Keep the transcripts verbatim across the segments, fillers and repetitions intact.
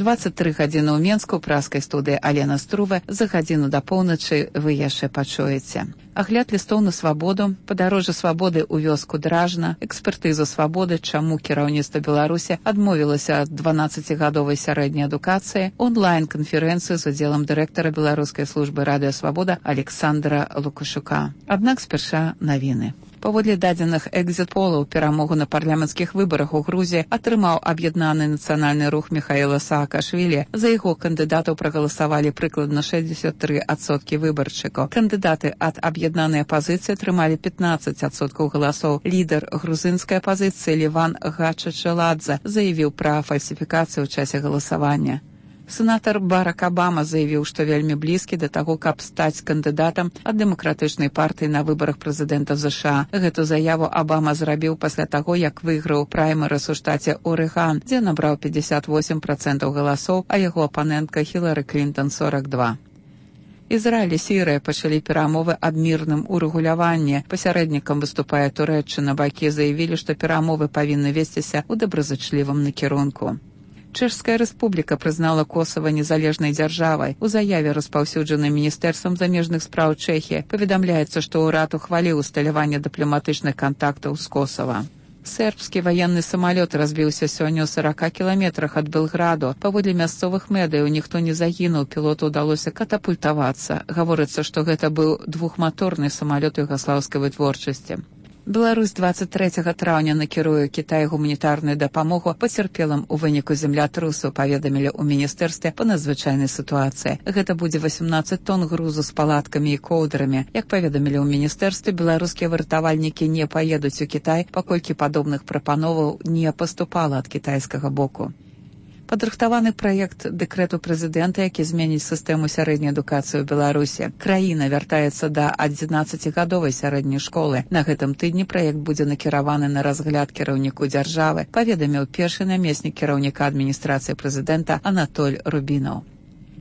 дваццаць тры гадзіны ў Менску, праскай студыі Алена Струва. За гадзіну да поўначы вы яшчэ пачуеце. Агляд лістоў на свабоду, падарожжа свабоды ў вёску Дражна, экспертызу свабоды, чаму кіраўніцтва Беларусі адмовілася ад дванаццацігадовай сярэдняй адукацыі, онлайн-канферэнцыю з удзелам дырэктара беларускай службы радыё Свабода Александра Лукашука. Аднак спярша навіны. Паводле дадзеных экзіт-полаў, перамогу на парламенцкіх выбарах у Грузіі атрымаў аб'яднаны нацыянальны рух Міхаіла Саакашвілі. За яго кандыдатаў прагаласавалі прыкладна шэсцьдзесят тры адсоткі выбаршчыкаў. Кандыдаты ад аб'яднанай апазіцыі атрымалі пятнаццаць адсоткаў галасоў. Лідар грузінскай апазіцыі Леван Гачачаладзе заявіў пра фальсіфікацыю ў часе галасавання. Сенатар Барак Абама заявіў, што вельмі блізкі да таго, каб стаць кандыдатам ад дэмакратычнай партыі на выбарах прэзідэнта ЗША. Гэту заяву Абама зрабіў пасля таго, як выйграў праймерыс у штаце Орэган, дзе набраў пятьдесят восемь процентаў галасоў, а яго апанентка Хілары Клінтон сорок два. Ізраіль і Сірыя пачалі перамовы аб мірным урэгуляванні. Пасярэднікам выступае Турэччына. Бакі заявілі, што перамовы павінны весціся ў добразычлівым накірунку. Чэшская рэспубліка прызнала Косава незалежнай дзяржавай. У заяве, распаўсюджанай міністэрствам замежных спраў Чэхіі, паведамляецца, што ўрад ухваліў усталяванне дыпламатычных кантактаў з Косава. Сербскі ваенны самалёт разбіўся сёння ў сорока кіламетрах ад Белграду. Паводле мясцовых медыяў ніхто не загінуў, пілоту ўдалося катапультавацца. Гаворыцца, што гэта быў двухматорны самалёт югаслаўскай вытворчасці. Беларусь дваццаць трэцяга траўня накіруе Кітай гуманітарную дапамогу пацярпелым у выніку землятрусу, паведамілі ў міністэрстве па надзвычайнай сітуацыі. Гэта будзе восемнадцаць тонн грузу з палаткамі і коўдрамі. Як паведамілі ў міністэрстве, беларускія выратавальнікі не паедуць у Кітай, паколькі падобных прапановаў не паступала ад кітайскага боку. Падрыхтаваны праект дэкрэту прэзідэнта, які зменіць сістэму сярэдняй адукацыі ў Беларусі. Краіна вяртаецца да адзінаццацігадовай сярэдняй школы. На гэтым тыдні праект будзе накіраваны на разгляд кіраўніку дзяржавы, паведаміў першы намеснік кіраўніка адміністрацыі прэзідэнта Анатоль Рубінаў.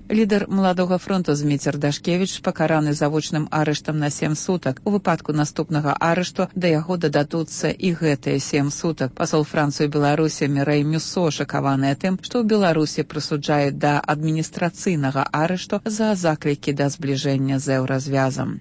Лідар Маладога фронту Зміцер Дашкевіч пакараны завочным арыштам на сем сутак. У выпадку наступнага арышту да яго дададуцца і гэтыя сем сутак. Пасол Францыі ў Беларусі Мірэй Мюсо шакаваная тым, што ў Беларусі прысуджае да адміністрацыйнага арышту за заклікі да збліжэння з еўразвязам.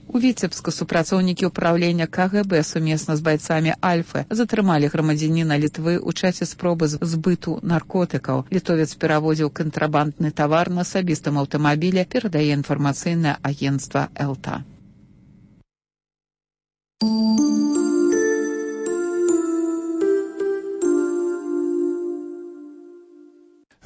У Віцебску супрацоўнікі ўпраўлення ка гэ бэ сумесна з байцамі Альфы затрымалі грамадзяніна Літвы ў часе спробы збыту наркотыкаў. Літовец перавозіў кантрабандны тавар на асабістым аўтамабілі, перадае інфармацыйнае агенцтва Элта.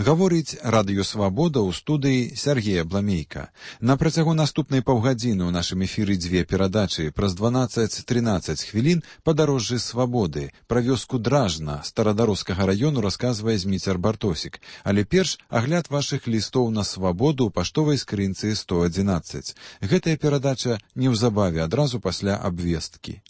Гаворыць радыё Свабода ў студыі Сергея Бламейка. На працягу наступнай паўгадзіны ў нашым эфіры дзве перадачы. Праз дванаццаць-трынаццаць хвілін падарожжы свабоды. Пра вёску Дражна Старадароскага раёну расказвае Зміцер Бартосік. Але перш агляд вашых лістоў на свабоду ў паштовай скрынцы сто адзінаццаць. Гэтая перадача неўзабаве адразу пасля абвесткі.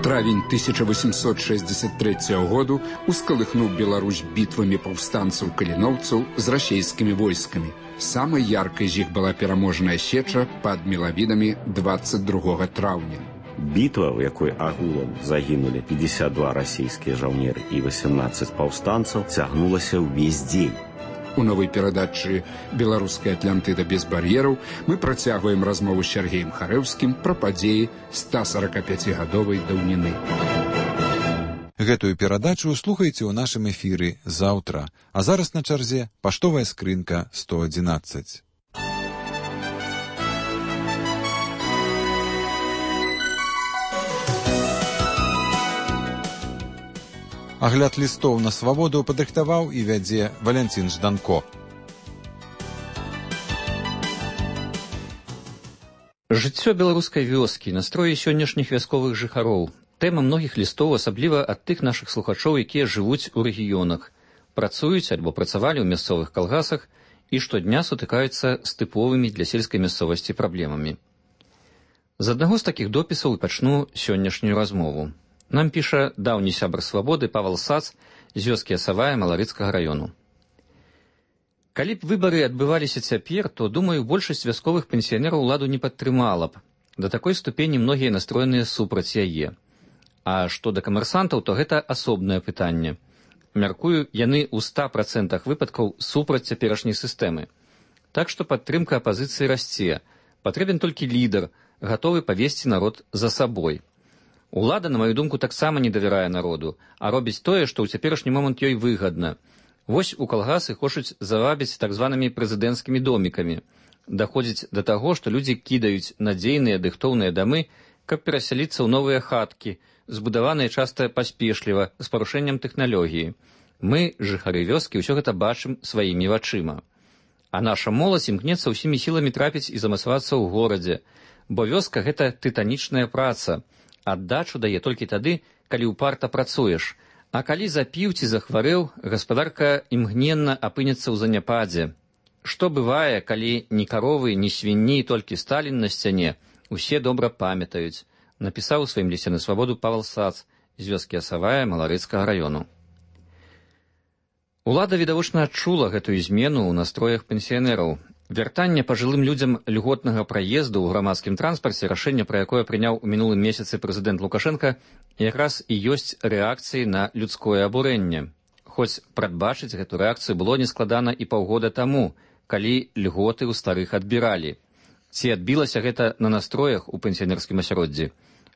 Травень тысяча восемьсот шестьдесят третьего году усколыхнул Беларусь битвами повстанцев-калиновцев с российскими войсками. Самой яркой из них была пераможная сеча под Мелавинами двадцать другого траўня. Бітва, в якой агулам загінулі пятьдесят два расійскія жаўнеры і восемнадцать паўстанцаў, цягнулася ўвесь дзень. У новой перадачы «Беларуская Атлантыда без бар'ераў» мы працягваем размову з Сергеем Харэўскім пра падзеі ста сорокапяцігадовай даўніны. Гэтую перадачу слухайце ў нашым эфіры заўтра. А зараз на чарзе паштовая скрынка сто адзінаццаць. Агляд лістоў на свабоду падрыхтаваў і вядзе Валянцін Жданко. Жыццё беларускай вёскі, настроі сённяшніх вясковых жыхароў. Тэма многіх лістоў, асабліва ад тых нашых слухачоў, якія жывуць у рэгіёнах, працуюць альбо працавалі ў мясцовых калгасах і штодня сутыкаюцца з тыповымі для сельскай мясцовасці праблемамі. З аднаго з такіх допісаў і пачну сённяшнюю размову. Нам піша даўні сябар свабоды Павал Сац з вёскі Асавая Маларыцкага раёну. Калі б выбары адбываліся цяпер, то, думаю, большасць вясковых пенсіянераў уладу не падтрымала б. Да такой ступені многія настроеныя супраць яе. А што да камерсантаў, то гэта асобнае пытанне. Мяркую, яны ў ста працэнтах выпадкаў супраць цяперашняй сістэмы. Так што падтрымка апазіцыі расце. Патрэбен толькі лідар, гатовы павесці народ за сабой. Улада, на маю думку, таксама не давярае народу, а робіць тое, што ў цяперашні момант ёй выгадна. Вось у калгасы хочуць завабіць так званымі прэзідэнцкімі домікамі. Даходзіць да таго, што людзі кідаюць надзейныя дыхтоўныя дамы, каб перасяліцца ў новыя хаткі, збудаваныя часта паспешліва, з парушэннем тэхналогіі. Мы, жыхары вёскі, ўсё гэта бачым сваімі вачыма. А наша моладзь імкнецца ўсімі сіламі трапіць і замацавацца ў горадзе, бо вёска — гэта тытанічная праца. Аддачу дае толькі тады, калі ўпарта працуеш. А калі запіў ці захварэў, гаспадарка імгненна апынецца ў заняпадзе. Што бывае, калі ні каровы, ні свінні, толькі Сталін на сцяне, усе добра памятаюць, напісаў у сваім лісце на свабоду Павел Сац з вёскі Асавая Маларыцкага раёну. Улада відавочна адчула гэтую змену ў настроях пенсіянераў. Вяртанне пажылым людзям льготнага праезду ў грамадскім транспарце, рашэнне, пра якое прыняў у мінулым месяцы прэзідэнт Лукашенка, якраз і ёсць рэакцыяй на людское абурэнне. Хоць прадбачыць гэту рэакцыю было нескладана і паўгода таму, калі льготы ў старых адбіралі. Ці адбілася гэта на настроях у пенсіянерскім асяроддзі?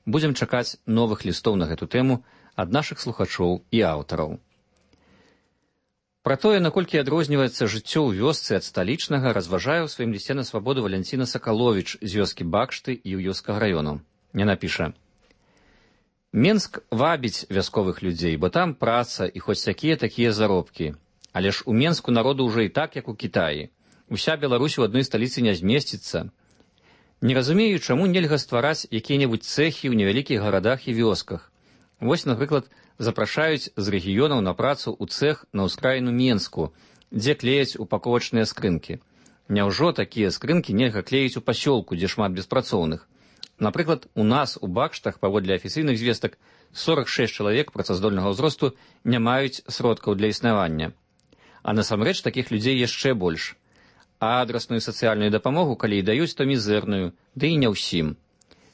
Будзем чакаць новых лістоў на гэту тэму ад нашых слухачоў і аўтараў. Пра тое, наколькі адрозніваецца жыццё ў вёсцы ад сталічнага, разважае ў сваім лісце на свабоду Валянціна Сакаловіч з вёскі Бакшты і Іўёўскага раёну. Яна піша: Менск вабіць вясковых людзей, бо там праца і хоць такія-такія заробкі. Але ж у Менску народу ўжо і так, як у Кітаі. Уся Беларусь у адной сталіцы не змесціцца. Не разумею, чаму нельга ствараць якія-небудзь цэхі ў невялікіх гарадах і вёсках. Вось, напрыклад, запрашаюць з рэгіёнаў на працу ў цэх на ўскраіну Менску, дзе клеяць упаковачныя скрынкі. Няўжо такія скрынкі нельга клеіць у пасёлку, дзе шмат беспрацоўных? Напрыклад, у нас у Бакштах, паводле афіцыйных звестак, сорок шэсць чалавек працаздольнага ўзросту не маюць сродкаў для існавання. А насамрэч такіх людзей яшчэ больш. А адрасную сацыяльную дапамогу, калі і даюць, то мізэрную, ды і не ўсім.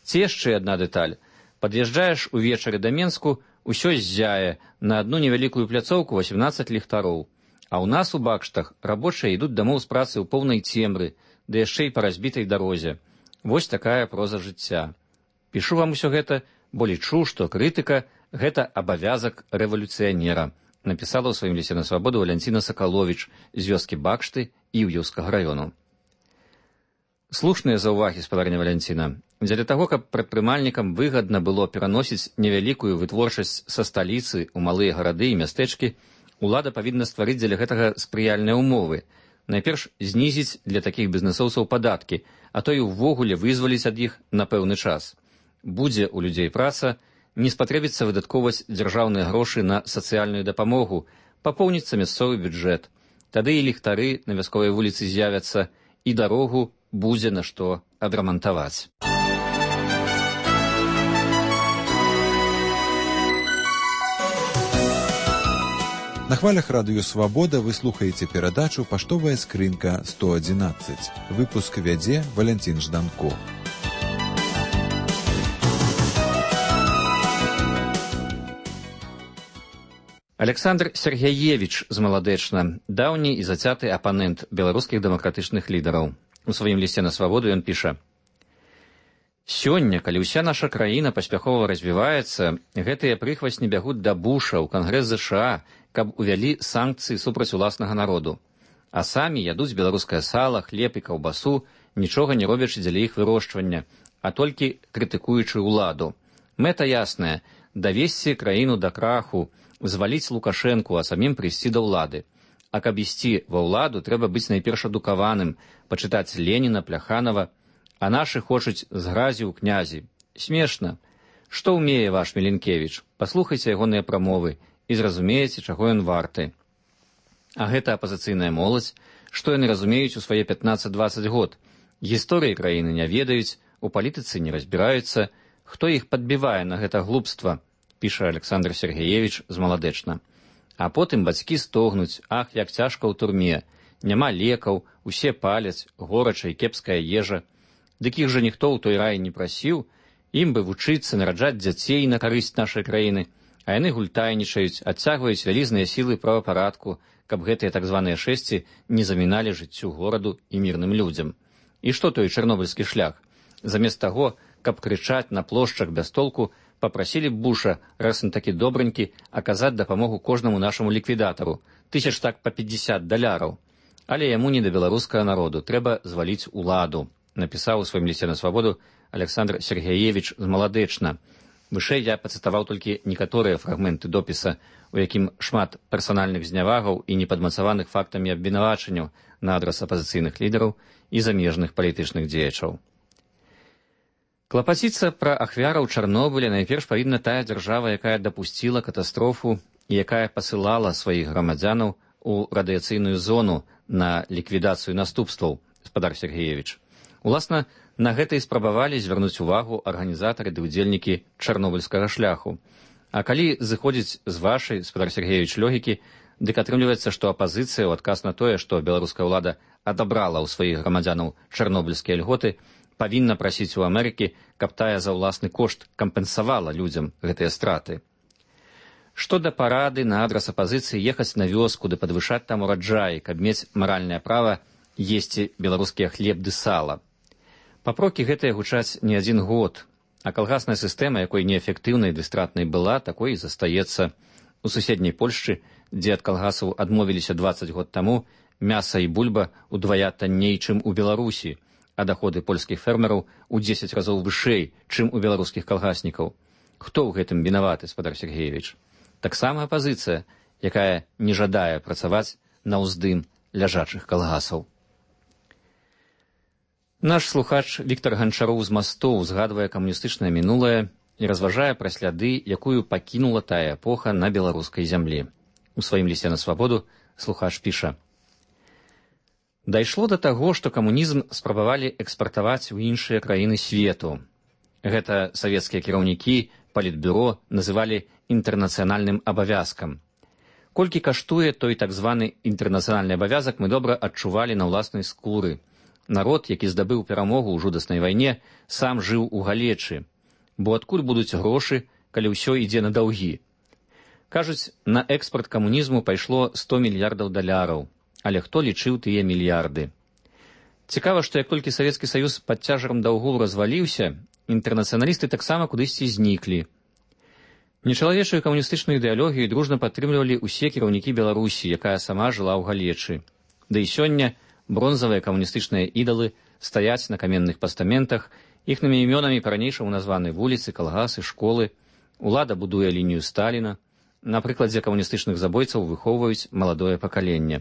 Ці яшчэ адна дэталь. Пад'язджаеш увечары да Менску, усё ззяе, на адну невялікую пляцоўку васемнаццаць ліхтароў. А ў нас у Бакштах рабочыя ідуць дамоў з працы ў поўнай цемры, ды яшчэ і па разбітай дарозе. Вось такая проза жыцця. Пішу вам усё гэта, бо лічу, што крытыка — гэта абавязак рэвалюцыянера, напісала ў сваім лісце на свабоду Валянціна Сакаловіч з вёскі Бакшты і Іўёўскага раёну. Слушныя заўвагі, спадарня Валянціна. Дзеля таго, каб прадпрымальнікам выгадна было пераносіць невялікую вытворчасць са сталіцы ў малыя гарады і мястэчкі, улада павінна стварыць дзеля гэтага спрыяльныя ўмовы. Найперш знізіць для такіх бізнэсоўцаў падаткі, а то і ўвогуле вызваліць ад іх на пэўны час. Будзе ў людзей праца, не спатрэбіцца выдаткоўваць дзяржаўныя грошы на сацыяльную дапамогу, папоўніцца мясцовы бюджэт. Тады і ліхтары на вясковай вуліцы з'явяцца, і дарогу будзе на што адрамантаваць. На хвалях радыё «Свабода» вы слухаеце перадачу «Паштовая скрынка сто адзінаццаць». Выпуск вядзе Валянцін Жданко. Александр Сергеевич з Маладэчна, даўні і зацяты апанент беларускіх дэмакратычных лідараў. У сваім лісце на свабоду ён піша: «Сёння, калі ўся наша краіна паспяхова развіваецца, гэтыя прыхвасні бягуць да Буша ў Кангрэс ЗША, каб увялі санкцыі супраць уласнага народу. А самі ядуць беларускае сала, хлеб і каўбасу, нічога не робячы дзеля іх вырошчвання, а толькі крытыкуючы ўладу. Мэта ясная — давесці краіну да краху, зваліць Лукашэнку, а самім прыйсці да ўлады. А каб ісці ва ўладу, трэба быць найперш адукаваным, пачытаць Леніна, Пляханова, а нашы хочуць з гразі ў князі. Смешна. Што ўмее ваш Міленкевіч? Паслухайце ягоныя прамовы і зразумееце, чаго ён варты. А гэта апазіцыйная моладзь, што яны разумеюць у свае пятнаццаць-дваццаць год. Гісторыі краіны не ведаюць, у палітыцы не разбіраюцца. Хто іх падбівае на гэта глупства? Піша Александр Сергеевич з Маладэчна. А потым бацькі стогнуць: ах, як цяжка ў турме, няма лекаў, усе паляць, горача і кепская ежа. Дык іх жа ніхто ў той рай не прасіў, ім бы вучыцца, нараджаць дзяцей на карысць нашай краіны, А яны гультайнічаюць, адцягваюць вялізныя сілы правапарадку, каб гэтыя так званыя шэсці не заміналі жыццю гораду і мірным людзям. І што той чарнобыльскі шлях? Замест таго, каб крычаць на плошчах без толку, папрасілі б Буша, раз он такі добранькі, аказаць дапамогу кожнаму нашаму ліквідатару, тысяч так па пятьдесят даляраў. Але яму не да беларускага народу, трэба зваліць уладу, напісаў у сваім лісце на свабоду Александр Сергеевич з Маладэчна. Вышэй я пацытаваў толькі некаторыя фрагменты допіса, у якім шмат персанальных знявагаў і непадмацаваных фактамі абвінавачанняў на адрас апазіцыйных лідараў і замежных палітычных дзеячаў. Клапаціцца пра ахвяраў Чарнобыля найперш павінна тая дзяржава, якая дапусціла катастрофу і якая пасылала сваіх грамадзянаў у радыяцыйную зону на ліквідацыю наступстваў, спадар Сергеевич. Уласна, на гэта і спрабавалі звярнуць увагу арганізатары ды ўдзельнікі чарнобыльскага шляху. А калі зыходзіць з вашай, спадар Сергеевич, логікі, дык атрымліваецца, што апазіцыя ў адказ на тое, што беларуская ўлада адабрала ў сваіх грамадзянаў чарнобыльскія льготы, павінна прасіць у Амерыкі, каб тая за ўласны кошт кампенсавала людзям гэтыя страты. Што да парады на адрас апазіцыі ехаць на вёску ды падвышаць там ураджай, каб мець маральнае права есці беларускія хлеб ды сала. Папрокі гэтыя гучаць не адзін год, а калгасная сістэма, якой неэфектыўнай ды стратнай была, такой і застаецца. У суседняй Польшчы, дзе ад калгасаў адмовіліся дваццаць год таму, мяса і бульба удвая танней, чым у Беларусі, а даходы польскіх фермераў у дзесяць разоў вышэй, чым у беларускіх калгаснікаў. Хто ў гэтым вінаваты, спадар Сергеевич? Таксама апазіцыя, якая не жадае працаваць на ўздым ляжачых калгасаў. Наш слухач Віктор Ганчароў з Мастоў згадвае камуністычнае мінулае і разважае пра сляды, якую пакінула тая эпоха на беларускай зямлі. У сваім лісце на свабоду слухач піша: «Дайшло да таго, што камунізм спрабавалі экспартаваць у іншыя краіны свету. Гэта савецкія кіраўнікі палітбюро называлі інтэрнацыянальным абавязкам. Колькі каштуе той так званы інтэрнацыянальны абавязак, мы добра адчувалі на ўласнай скуры. Народ, які здабыў перамогу ў жудаснай вайне, сам жыў у галечы. Бо адкуль будуць грошы, калі ўсё ідзе на даўгі? Кажуць, на экспарт камунізму пайшло сто мільярдаў даляраў, але хто лічыў тыя мільярды? Цікава, што як толькі Савецкі Саюз пад цяжарам даўгу разваліўся, інтэрнацыяналісты таксама кудысьці зніклі. Нечалавечую камуністычную ідэалогію дружна падтрымлівалі ўсе кіраўнікі Беларусі, якая сама жыла ў галечы. Да і сёння бронзавыя камуністычныя ідалы стаяць на каменных пастаментах, іхнымі імёнамі па-ранейшаму названы вуліцы, калгасы, школы. Улада будуе лінію Сталіна. На прыкладзе камуністычных забойцаў выхоўваюць маладое пакаленне.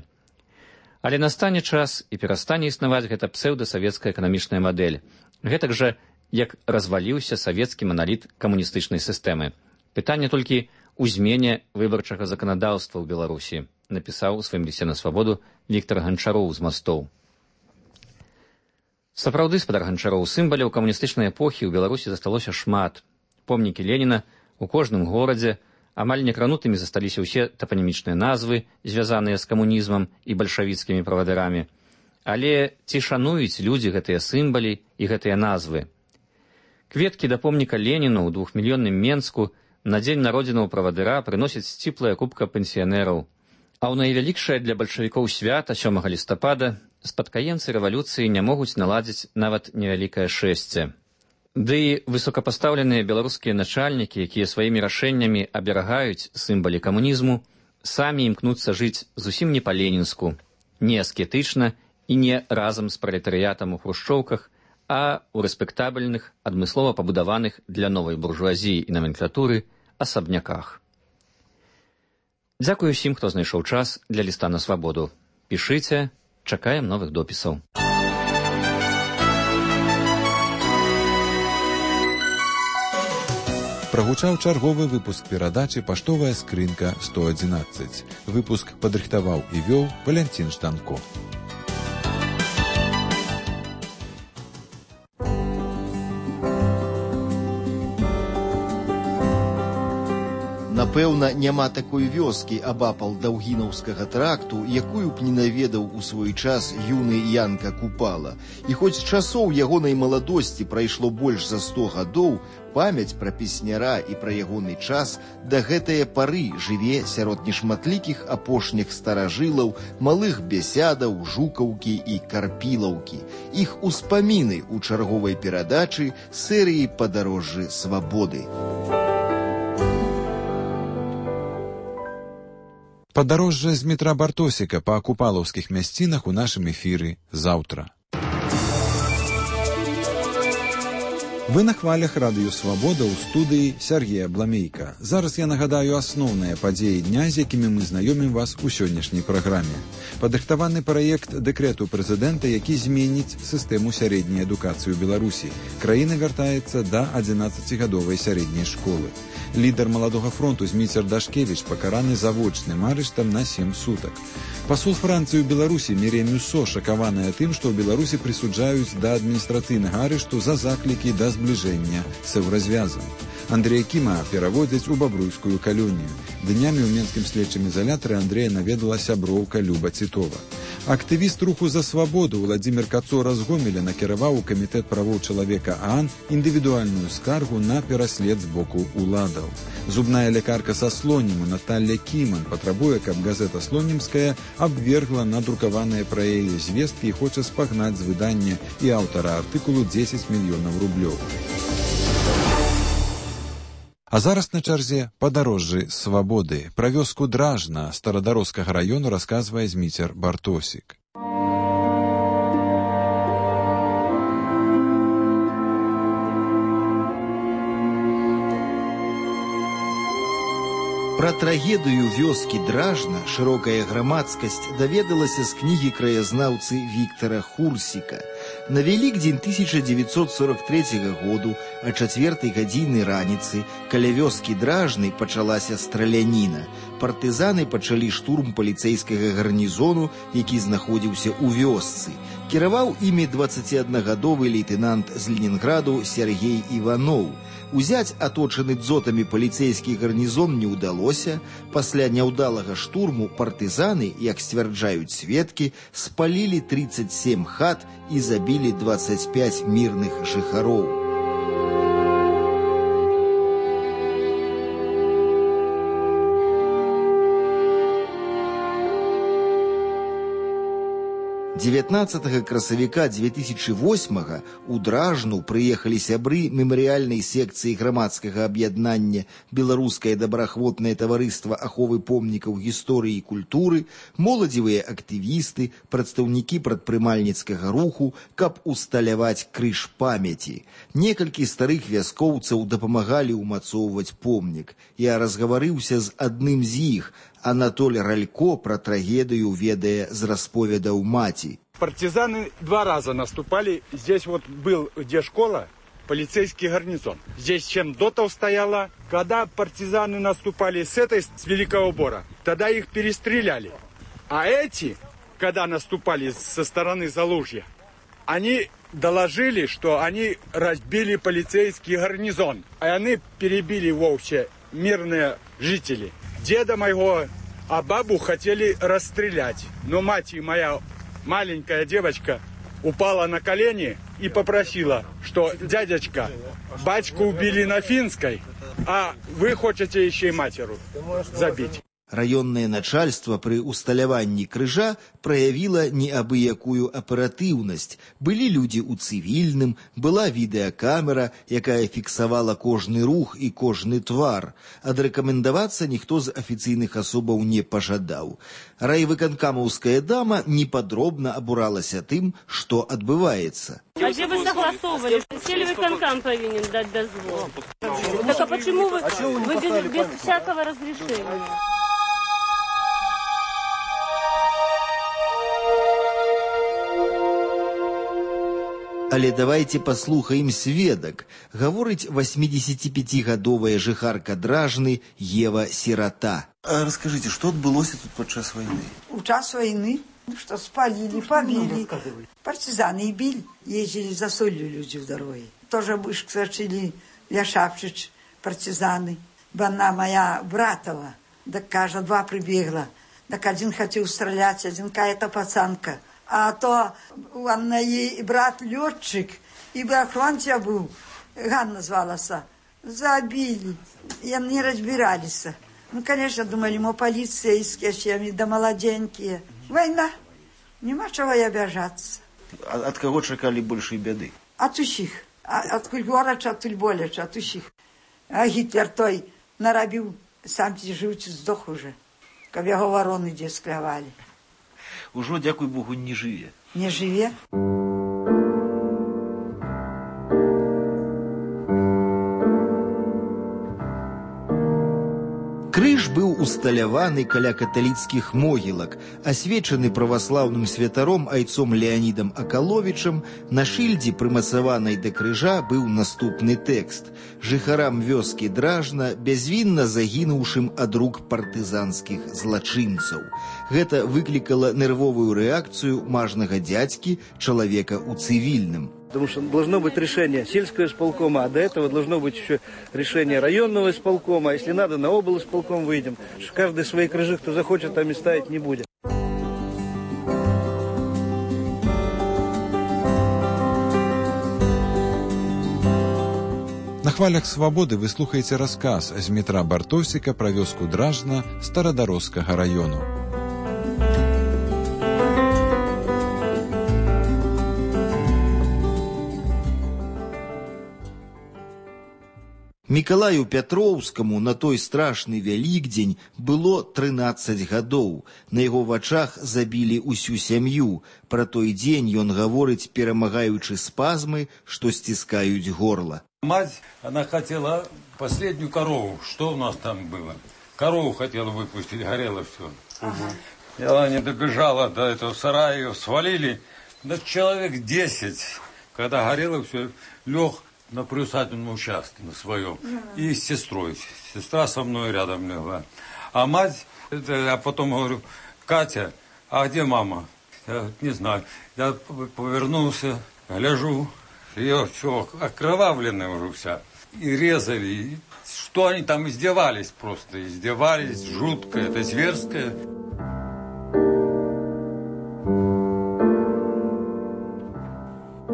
Але настане час і перастане існаваць гэта псеўдасавецкая эканамічная мадэль. Гэтак жа, як разваліўся савецкі маналіт камуністычнай сістэмы. Пытанне толькі ў змене выбарчага заканадаўства ў Беларусі, напісаў у сваім лісце на свабоду Віктор Ганчароў з Мастоў. Сапраўды, спадар Ганчароў, сімваляў камуністычнай эпохі ў Беларусі засталося шмат. Помнікі Леніна у кожным горадзе, амаль некранутымі засталіся ўсе тапанімічныя назвы, звязаныя з камунізмам і бальшавіцкімі правадырамі. Але ці шануюць людзі гэтыя сімвалі і гэтыя назвы? Кветкі да помніка Леніну ў двухмільённым Менску на дзень народзінаў правадыра прыносяць сціплая купка пенсіянераў. А ў найвялікшае для бальшавікоў свята сёмага лістапада спадкаемцы рэвалюцыі не могуць наладзіць нават невялікае шэсце. Ды і высокапастаўленыя беларускія начальнікі, якія сваімі рашэннямі аберагаюць сімвалі камунізму, самі імкнуцца жыць зусім не па-ленінску, не аскетычна і не разам з пралетарыятам у хрушчоўках, а ў рэспектабельных, адмыслова пабудаваных для новай буржуазіі і наменклатуры асабняках. Дзякую ўсім, хто знайшоў час для ліста на свабоду. Пішыце, чакаем новых допісаў. Прагучаў чарговы выпуск перадачы «Паштовая скрынка сто адзінаццаць». Выпуск падрыхтаваў і вёў Валянцін Штанко. На Напэўна, няма такой вёскі абапал Даўгінаўскага тракту, якую б не наведаў у свой час юны Янка Купала. І хоць з часоў ягонай маладосці прайшло больш за сто гадоў, памяць пра песняра і пра ягоны час да гэтае пары жыве сярод нешматлікіх апошніх старажылаў, малых бесядаў, жукаўкі і карпілаўкі. Іх успаміны ў чарговай перадачы серыі «Падарожжы свабоды». Падарожжа з Дмітра Бартосіка па купалаўскіх мясцінах у нашым эфіры заўтра. Вы на хвалях радыё «Свабода» ў студыі Сергея Бламейка. Зараз я нагадаю асноўныя падзеі дня, з якімі мы знаёмім вас у сённяшняй праграме. Падрыхтаваны праект дэкрэту прэзідэнта, які зменіць сістэму сярэдняй адукацыі ў Беларусі. Краіна вяртаецца да адзінаццацігадовай сярэдняй школы. Лідар маладога фронту Зміцер Дашкевіч пакараны завочным арыштам на сем сутак. Пасол Францыі ў Беларусі Мір'я Мюссо шакаваная тым, што ў Беларусі прысуджаюць да адміністрацыйнага арышту за заклікі да збліжэння з еўразвязам. Андрэя Кіма пераводзяць у бабруйскую калонію. Днямі ў менскім следчым ізалятары Андрэя наведала сяброўка Люба Цітова. Актывіст руху за свабоду Владзімір Кацора з Гомеля накіраваў у камітэт правоў чалавека ААН індывідуальную скаргу на пераслед з боку уладаў. Зубная лекарка са Слоніму Наталля Кіман патрабуе, каб газета «Слонімская» абвергла надрукаваныя пра яе звесткі і хоча спагнаць з выдання і аўтара артыкулу дзесяць мільёнаў рублёў. А зараз на чарзе «Падарожжы свабоды». Пра вёску Дражна старадароцкага раёну расказвае Зміцер Бартосік. Пра трагедыю вёскі Дражна шырокая грамадскасць даведалася з кнігі краязнаўцы Віктара Хурсіка. На Вялікдзень тысяча дзевяцьсот сорок трэцяга году а чацвёртай гадзіны раніцы каля вёскі Дражнай пачалася страляніна. Партызаны пачалі штурм паліцэйскага гарнізону, які знаходзіўся ў вёсцы. Кіраваў імі дваццаціаднагадовы лейтэнант з Ленінграду Сергей Іваноў. Узяць аточаны дзотамі паліцэйскі гарнізон не ўдалося. Пасля няўдалага штурму партызаны, як сцвярджаюць сведкі, спалілі трыццаць сем хат і забілі дваццаць пяць мірных жыхароў. дзевятнаццатага красавіка дзве тысячы восьмага у Дражну прыехалі сябры мемарыяльнай секцыі грамадскага аб'яднання «Беларускае добраахвотнае таварыства аховы помнікаў гісторыі і культуры», моладзевыя актывісты, прадстаўнікі прадпрымальніцкага руху, каб усталяваць крыж памяці. Некалькі старых вяскоўцаў дапамагалі ўмацоўваць помнік. Я разгаварыўся з адным з іх. Анатоль Ралько про трагедию ведая з расповедаў маці. Партизаны два раза наступали. Здесь вот был, где школа, полицейский гарнизон. Здесь чем дотов стояла. Когда партизаны наступали с этой, с Великого Бора, тогда их перестреляли. А эти, когда наступали со стороны Залужья, они доложили, что они разбили полицейский гарнизон. А они перебили вовсе мирные жители. Деда моего, а бабу хотели расстрелять. Но мать моя, маленькая девочка, упала на колени и попросила, что дядечка, батьку убили на Финской, а вы хотите еще и матеру забить. Раённае начальство пры усталяванні крыжа праявіла неабыякую аператыўнасць. Былі людзі ў цывільным, была відэакамера, якая фіксавала кожны рух і кожны твар. Адрэкамендавацца ніхто з афіцыйных асобаў не пажадаў. Райвыканкамаўская дама непадробна абуралася тым, што адбываецца. А где вы согласовывали? Селевыконкам повинен дать дозвол. Так а почему вы, вы без, без всякого разрешения? Але давайте паслухаем сведак. Гаворыць восьмидесятипятигадовая жыхарка Дражны Ева Сирата. А расскажите, что отбылося тут подчас войны? У час войны, что спалили, побили. Партизаны били, ездили за солью люди в дороге. Тоже Бышк сочили, Ляшапшич, партизаны. Она моя братова. Так, кажа, два прибегла. Так один хотел стрелять, один какая-то пацанка. А то у Анны брат летчик, и охранця был, Ганна звалась. Забили. И они разбирались. Ну, конечно, думали, мы полицейские, чем да молоденькие. Война. Нема чего и обижаться. А от кого чекали большей беды? От усіх. От горача, от боляча, от усіх. А Гітлер той наробив, сам живучи, здох уже. Каб його ворони де склявали. Ужо, дякуй Богу, не живе. Не живе? Крыж быў усталяваны каля каталіцкіх могілак, асвечаны праваслаўным святаром айцом Леанідам Акаловічам. На шыльдзе, прымацаванай да крыжа, быў наступны тэкст: «Жыхарам вёскі Дражна, бязвінна загінуўшым ад рук партызанскіх злачынцаў». Гэта выклікала нервовую рэакцыю мажнага дзядзькі, чалавека ў цывільным. Потому что должно быть решение сельского исполкома, а до этого должно быть еще решение районного исполкома. А если надо, на облисполком выйдем. Каждый свои крыжи, кто захочет, там и ставить не будет. На хвалях свабоды вы слухаеце расказ з Дмітра Бартосіка пра вёску Дражна Старадарожскага раёну. Мікалаю Пятроўскаму на той страшны Вялікдзень было трынаццаць гадоў. На яго вачах забілі ўсю сям'ю. Пра той дзень ён гаворыць, перамагаючы спазмы, што сціскаюць горла. Мать, она хотела последнюю корову. Что у нас там было? Корову хотела выпустить, горело все. Угу. И она не добежала до этого сарая, ее свалили. Да человек десять. Когда горело все, лег на приусадебном участке, на своем. И с сестрой. Сестра со мной рядом легла. А мать, это, я потом говорю: Катя, а где мама? Я не знаю. Я повернулся, гляжу, ее все окровавленная уже вся. И резали. И что они там издевались просто. Издевались, жутко, это зверское.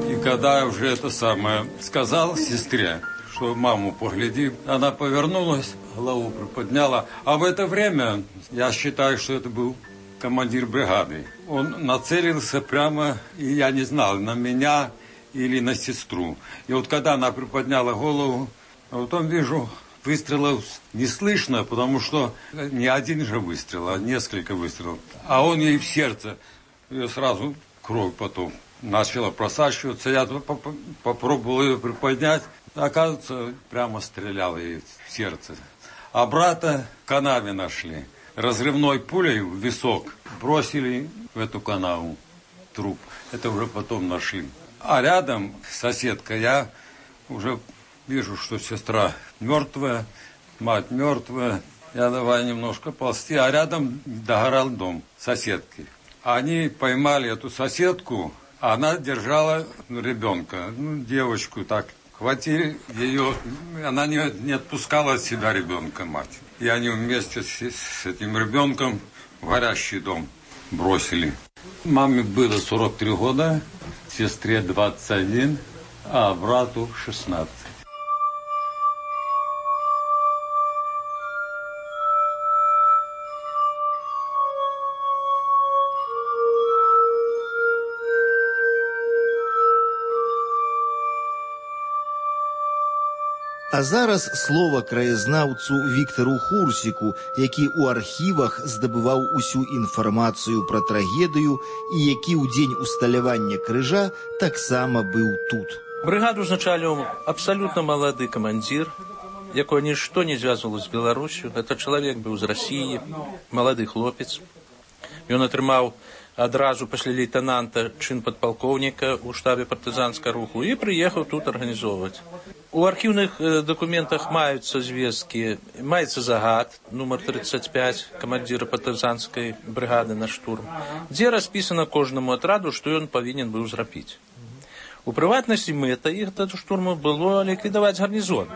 И когда я уже это самое сказал сестре, что маму погляди, она повернулась, голову приподняла. А в это время, я считаю, что это был командир бригады. Он нацелился прямо, и я не знал, на меня или на сестру. И вот когда она приподняла голову, вот он, вижу, выстрелов не слышно, потому что не один же выстрел, а несколько выстрелов. А он ей в сердце, ее сразу кровь потом начала просачиваться. Я попробовал ее приподнять. Оказывается, прямо стрелял ей в сердце. А брата в канаве нашли. Разрывной пулей в висок бросили в эту канаву труп. Это уже потом нашли. А рядом соседка, я уже вижу, что сестра мертвая, мать мертвая. Я давай немножко ползти, а рядом догорал дом соседки. Они поймали эту соседку, а она держала ребенка, ну, девочку так. Хватили ее, она не, не отпускала от себя ребенка, мать. И они вместе с, с этим ребенком в горящий дом бросили. Маме было сорок три года, сестре двадцать один, а брату шестнадцать. А зараз слова краязнаўцу Віктару Хурсіку, які ў архівах здабываў усю інфармацыю пра трагедыю і які ў дзень усталявання крыжа таксама быў тут. Брыгаду узначаліў абсалютна малады камандзір, якое нішто не звязвала з Беларусю. Гэта чалавек быў з Расіі, малады хлопец. Ён атрымаў адразу пасля лейтенанта чын падпалкоўніка ў штабе партызанскага руху і прыехаў тут арганізоўваць. У архіўных дакументах маюцца звесткі, маецца загад, нумар тридцать пять, камандзіра партызанскай брыгады на штурм, дзе распісана кожнаму атраду, што ён павінен быў зрабіць. У прыватнасці мэта іх да штурму было ліквідаваць гарнізон.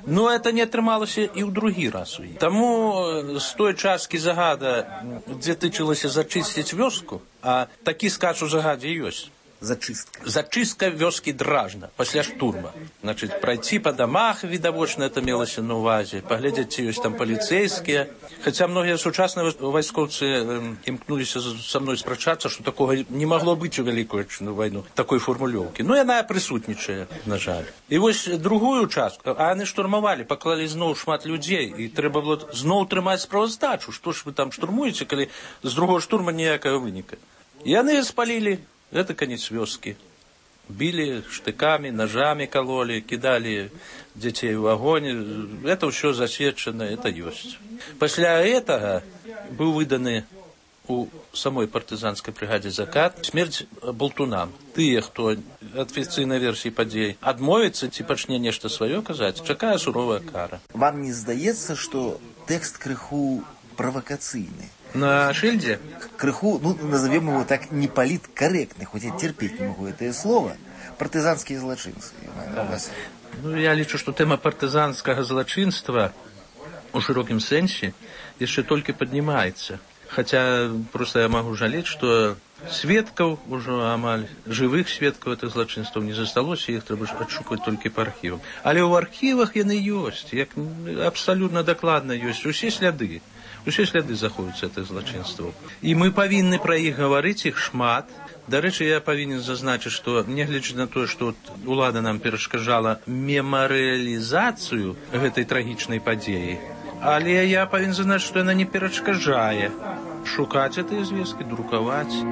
Но это не атрымалася і ў другі раз. Таму з той часткі загада, дзе тычылася зачысціць вёску, а такі сказ у загадзе ёсць. Зачистка. Зачистка вёскі Дражна пасля штурма. Значит, пройти по домах, видовочно это мелося на увазе, поглядеть, ці ёсць там полицейские. Хотя многие сучасныя вайскоўцы імкнуліся со мной спрачацца, что такого не могло быть у Великую Отечественную войну, такой формулёўкі. Но яна прысутнічае, на жаль. І вось другую частку, а яны штурмавалі, паклалі зноў шмат людзей, і трэба было зноў трымаць справаздачу. Што ж вы там штурмуеце, калі з другого штурма ніякага выніка. І яны спалілі. Это конец вёски. Били штыками, ножами кололи, кидали детей в огонь. Это все засвечено, это есть. После этого был выдан у самой партизанской бригаде закат смерть болтунам. Тыя, хто афіцыйнай версіі падзей адмовіцца ці пачне нешта сваё казаць, чакае суровая кара. Вам не здаецца, што тэкст крыху правакацыйны? На шильде? Крыху, ну, назовем его так, неполиткорректный, хоть я терпеть не могу это слово, партизанские злочинцы. Да. Ну, я лічу, что тема партизанского злочинства у широком сенсе еще только поднимается. Хотя просто я могу жалеть, что сведков уже амаль, живых сведков этих злочинств не засталось, и их треба отшукивать только по архивам. Але в архивах яны есть, як абсолютно докладно есть, усе сляды. Усе сляды заходзяць гэтых злачынстваў. І мы павінны пра іх гаварыць, іх шмат. Дарэчы, я павінен зазначыць, што нягледзячы на тое, што ўлада нам перашкаджала мемарыялізацыю гэтай трагічнай падзеі, але я павінен зазначыць, што яна не перашкаджае шукаць гэтыя звесткі, друкаваць.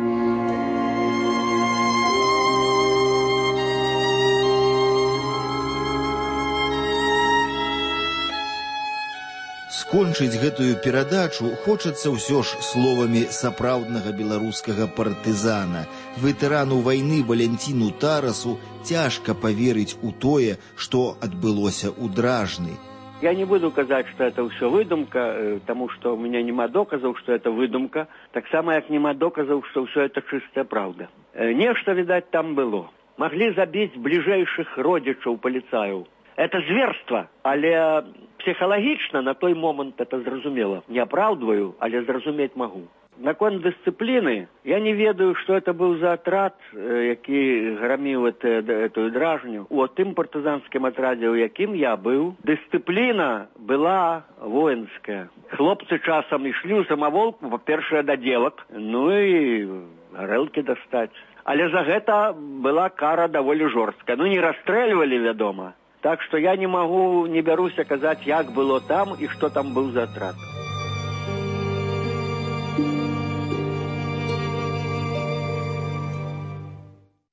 Скончыць гэтую перадачу хочацца ўсё ж словамі сапраўднага беларускага партызана. Ветэрану вайны Валянціну Тарасу цяжка паверыць у тое, што адбылося ў Дражны. Я не буду казаць, што это ўсё выдумка, таму што ў мяне няма доказаў, што это выдумка, таксама як няма доказаў, што ўсё это чыстая праўда. Нешта, відаць, там было. Маглі забіць бліжэйшых родзічаў паліцаяў. Это зверство, але психологично на той момент это зразумела. Не оправдываю, але зразуметь могу. Наконт дисциплины, я не ведаю, что это был за отряд, який громил это, эту Дражню. У тым партизанским отраде, у яким я был, дисциплина была воинская. Хлопцы часом ішли у самоволку, по-першае, до девок, ну и горелки достать. Але за гэта была кара даволі жорсткая. Ну не расстреливали, вядома. Так что я не могу, не берусь казаць, як было там и что там был за отряд.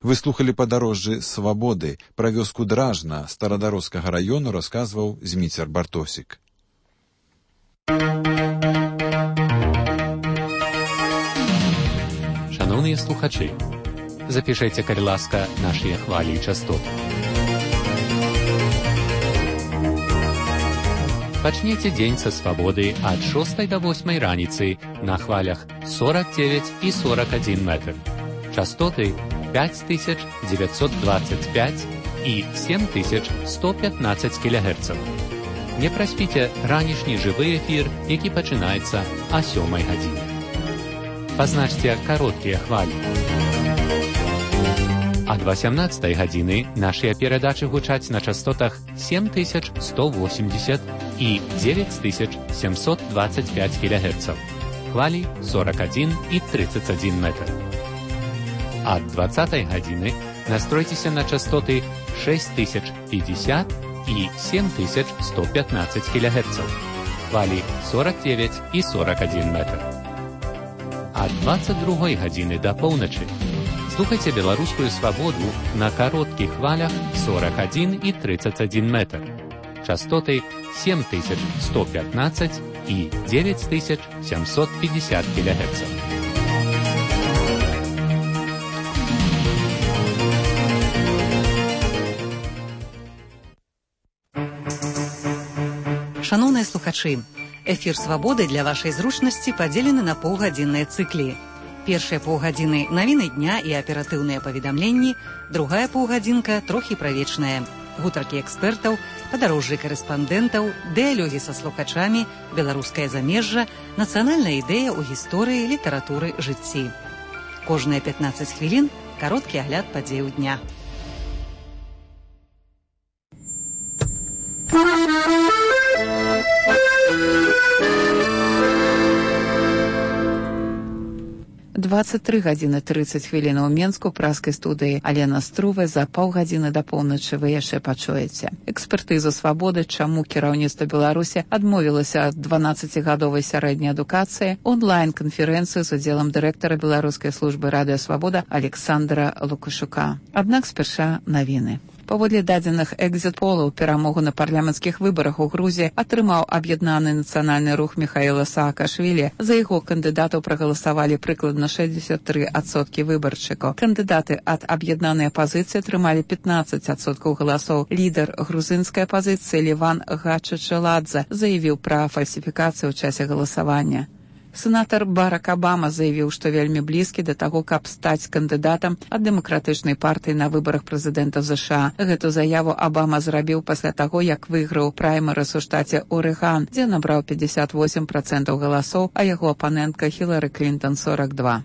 Вы слухали падарожжы свабоды. Пра вёску Дражна старадароцкага раёну расказваў Зміцер Бартосік. Шановні слухачі, запишите, калі ласка, наші хвалі і частоты. Пачніце дзень са свабоды ад шостай да восьмай раніцы на хвалях сорок девять і сорок один метр. Частоты пять тысяч девятьсот двадцать пять і семь тысяч сто пятнадцать кілогерцаў. Не праспіце ранішні жывы эфір, які пачынаецца а сёмай гадзіне. Пазначце кароткія хвалі. Ад восемнадцатай гадзіны нашыя перадачы гучаць на частотах семь тысяч сто восемьдесят і девять тысяч семьсот двадцать пять кілогерцаў. Хвалі сорок один і тридцать один метр. Ад двадцатай гадзіны настройцеся на частоты шесть тысяч пятьдесят і семь тысяч сто пятнадцать кілогерцаў. Хвалі сорок девять і сорок один метр. Ад двадцать другой гадзіны да поўначы слухайце беларускую свабоду на кароткіх хвалях сорок один і тридцать один метр. Частоты семь тысяч сто пятнадцать і девять тысяч семьсот пятьдесят килогерцев. Шановныя слухачы, эфір «Свабоды» для вашай зручнасці падзелены на паўгадзінныя цыклі. Першыя паўгадзіны навіны дня і аператыўныя паведамленні, другая паўгадзінка трохі пра вечнае. гутаркі экспертаў, падарожжы карэспандэнтаў, дыялогі са слухачамі, беларускае замежжа, нацыянальная ідэя ў гісторыі, літаратуры, жыцці. Кожныя пятнаццаць хвілін кароткі агляд падзеяў дня. двадцать три гадзіны тридцать хвілін у Менску, праскай студыі Алена Струве. За паўгадзіны да поўначы вы яшчэ пачуеце. Экспертызу свабоды, чаму кіраўніцтва Беларусі адмовілася ад дванаццацігадовай сярэдняй адукацыі, онлайн-канферэнцыю з удзелам дырэктара беларускай службы радыёсвабода Александра Лукашука. Аднак спярша навіны. Паводле дадзеных экзіт-полаў, перамогу на парламенцкіх выбарах у Грузіі атрымаў аб'яднаны нацыянальны рух Міхаіла Саакашвілі. За яго кандыдатаў прагаласавалі прыкладна шэсцьдзесят тры адсоткі выбаршчыкаў. Кандыдаты ад аб'яднанай апазіцыі атрымалі пятнаццаць адсоткаў галасоў. Лідар грузінскай апазіцыі Леван Гачачаладзе заявіў пра фальсіфікацыю ў часе галасавання. Сенатор Барак Абама заявіў, што вельмі блізкі да таго, каб стаць кандыдатам ад дэмакратычнай партыі на выбарах прэзідэнта ЗША. Гэту заяву Абама зрабіў пасля таго, як выйграў праймерыс у штаце Орэган, дзе набраў пятьдесят восемь процентаў галасоў, а яго апанентка Хілары Клінтон сорок два.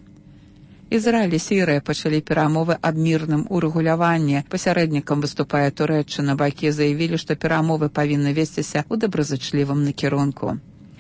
Ізраіль і Сірыя пачалі перамовы аб мірным урэгуляванні. Пасярэднікам выступае Турэччына. Бакі заявілі, што перамовы павінны весціся ў добразычлівым накірунку.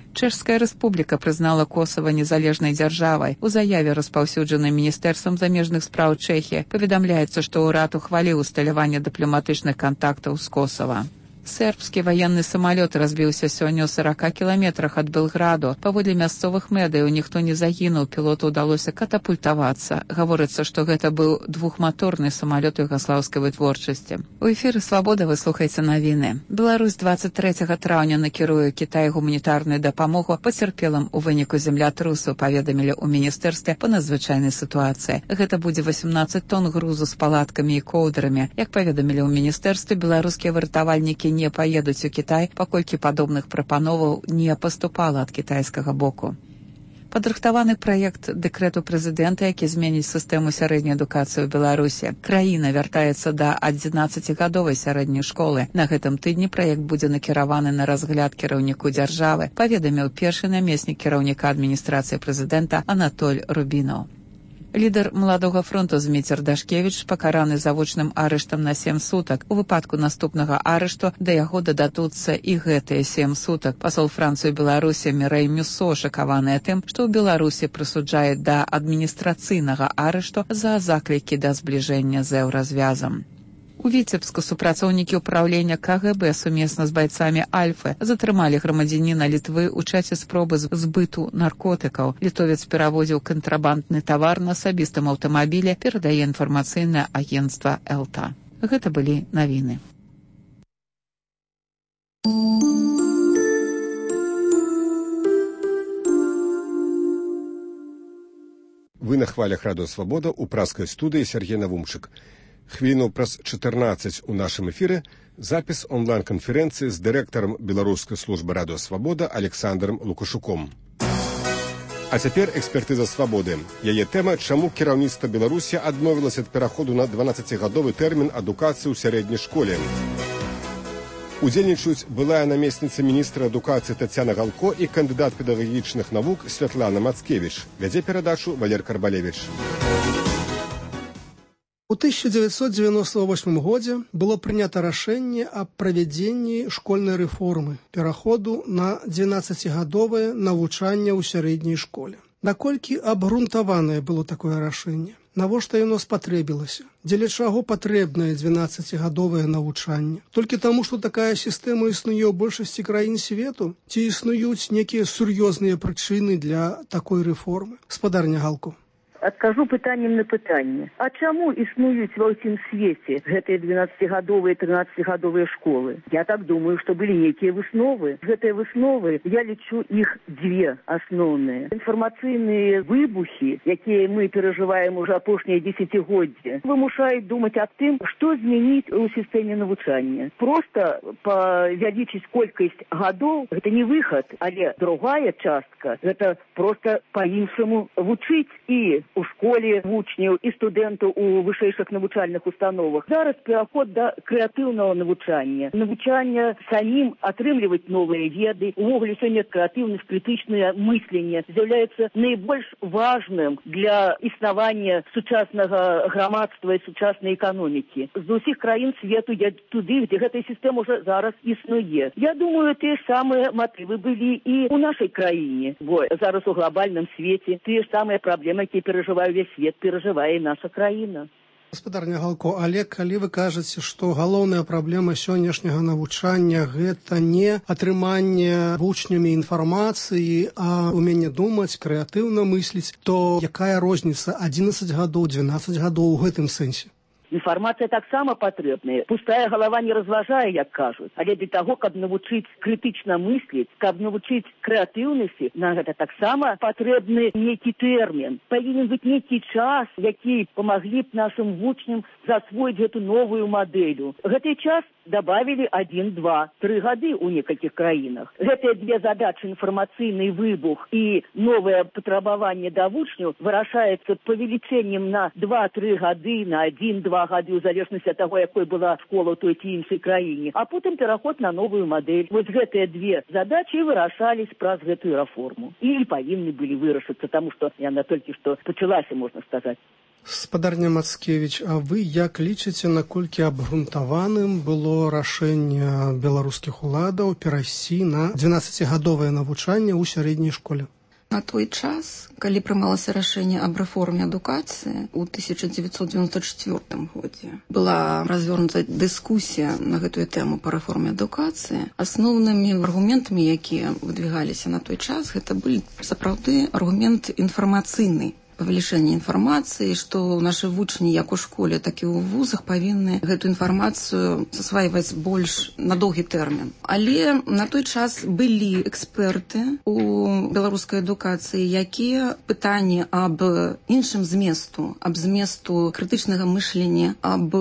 Чэшская рэспубліка прызнала Косава незалежнай дзяржавай. У заяве, распаўсюджанай Міністэрствам замежных спраў Чэхіі, паведамляецца, што ўрад ухваліў усталяванне дыпламатычных кантактаў з Косава. Сербскі ваенны самалёт разбіўся сёння ў сорока кіламетрах ад Белграду. Паводле мясцовых медыяў ніхто не загінуў, пілоту ўдалося катапультавацца. Гаворыцца, што гэта быў двухматорны самалёт югаслаўскай вытворчасці. У эфіры «Свабода» вы слухаеце навіны. Беларусь двадцать трэцяга траўня накіруе Кітай гуманітарную дапамогу пацярпелым у выніку землятрусу, паведамілі ў міністэрстве па надзвычайнай сітуацыі. Гэта будзе восемнадцать тонн грузу з палаткамі і коўдрамі. Як паведамілі ў міністэрстве, беларускія выратавальнікі не паедуць у Кітай, паколькі падобных прапановаў не паступала ад кітайскага боку. Падрыхтаваны праект дэкрэту прэзідэнта, які зменіць сістэму сярэдняй адукацыі ў Беларусі. Краіна вяртаецца да адзінаццацігадовай сярэдняй школы. На гэтым тыдні праект будзе накіраваны на разгляд кіраўніку дзяржавы, паведаміў першы намеснік кіраўніка адміністрацыі прэзідэнта Анатоль Рубінаў. Лідар Маладога фронту Зміцер Дашкевіч пакараны завочным арыштам на сем сутак. У выпадку наступнага арышту да яго дададуцца і гэтыя сем сутак. Пасол Францыі ў Беларусі Мірэй Мюсо шакаваная тым, што ў Беларусі прысуджае да адміністрацыйнага арышту за заклікі да збліжэння з еўразвязам. У Віцебску супрацоўнікі ўпраўлення ка гэ бэ сумесна з байцамі Альфы затрымалі грамадзяніна Літвы ў часе спробы збыту наркотыкаў. Літовец перавозіў кантрабандны тавар на асабістым аўтамабілі, перадае інфармацыйнае агенцтва Элта. Гэта былі навіны. Вы на хвалях радыё «Свабода» у праскай студыі Сергей Навумчык. Хвіліну праз чатырнаццаць у нашым эфіры запіс онлайн-канферэнцыі з дырэктарам беларускай службы радыё «Свабода» Александром Лукашуком. А цяпер экспертыза «Свабоды». Яе тэма, чаму кіраўніцтва Беларусі адмовілася ад пераходу на дванаццацігадовы тэрмін адукацыі ў сярэдняй школе. Удзельнічаюць былая намесніца міністра адукацыі Тацяна Галко і кандыдат педагагічных навук Святлана Мацкевіч. Вядзе перадачу Валер Карбалевіч. У тысяча девятьсот девяносто восьмым годзе было прынята рашэнне аб правядзенні школьнай рэформы, пераходу на дванаццацігадовае навучанне ў сярэдняй школе. Наколькі абгрунтаванае было такое рашэнне? Навошта яно спатрэбілася? Дзеля чаго патрэбнае дванаццацігадовае навучанне? Толькі таму, што такая сістэма існуе ў большасці краін свету? Ці існуюць некія сур'ёзныя прычыны для такой рэформы? Спадарня Галко. Адкажу пытаннем на пытанне. А чаму існуюць ва ўсім свеце гэтыя дванаццацігадовыя, трынаццацігадовыя школы? Я так думаю, што былі нейкія высновы. Гэтыя высновы, я лічу іх дзве асноўныя. Інфармацыйныя выбухі, якія мы перажываем уже апошнія дзесяцігоддзі, вымушаюць думаць аб тым, што змяніць у сістэме навучання. Проста павялічыць колькасць гадоў, гэта не выхад, але другая частка, гэта проста па-іншаму вучыць. І у школе вучняў і студэнтаў у вышэйшых навучальных установах. Зараз пераход да крэатыўнага навучання. Навучання самім атрымліваць новыя веды. Увогуле сёння крэатыўнасць, крытычнае мысленне з'яўляецца найбольш важным для існавання сучаснага грамадства і сучаснай эканомікі. З усіх краін свету я туды, где гэтая сістэма уже зараз існуе. Я думаю, тыя ж самыя матывы былі і ў нашай краіне. Бо зараз у глобальным свеце тыя ж самыя праблемы, якія перажывае ўвесь свет, перажывае і наша краіна. Гаспадарня Галко, але калі вы кажаце, што галоўная праблема сённяшняга навучання гэта не атрыманне вучнямі інфармацыі, а уменне думаць, крэатыўна мысліць, то якая розніца адзінаццаць гадоў, дванаццаць гадоў у гэтым сэнсе? Інфармацыя таксама патрэбная. Пустая галава не разважае, як кажуць. Але для таго, каб навучыць крытычна мысліць, каб навучыць крэатыўнасці, на гэта таксама патрэбны нейкі тэрмін. Павінен быць нейкі час, які памаглі б нашым вучням засвоіць гэту новую мадэлю. Гэты час добавили один, два, три гады у некалькіх краінах. Гэтыя две задачы, інфармацыйны выбух і новае патрабаванне да вучняў, вырашаецца павелічэннем на два-тры гады, на один-два гады, у залежнасці ад таго, якой была школа ў той ці іншай краіне, а потым пераход на новую мадэль. Вось гэтыя две задачы вырашались праз гэтую рэформу. І павінны былі вырашыцца, таму што яна толькі што пачалася, можна сказаць. Гаспадарня Мацкевіч, а вы як лічыце, наколькі абгрунтаваным было рашэнне беларускіх уладаў перайсці на дванаццацігадовае навучанне ў сярэдняй школе? На той час, калі прымалася рашэнне аб рэформе адукацыі ў тысяча дзевяцьсот дзевяносто чвёртым годзе, была развернута дыскусія на гэтую тэму па рэформе адукацыі. Асноўнымі аргументамі, якія выдвигаліся на той час, гэта былі сапраўды аргумент інфармацыйны. Павелічэнне інфармацыі, што нашы вучні як у школе, так і ў вузах павінны гэту інфармацыю засвайваць больш на доўгі тэрмін. Але на той час былі эксперты у беларускай адукацыі, якія пытанні аб іншым зместу, аб зместу крытычнага мышлення, аб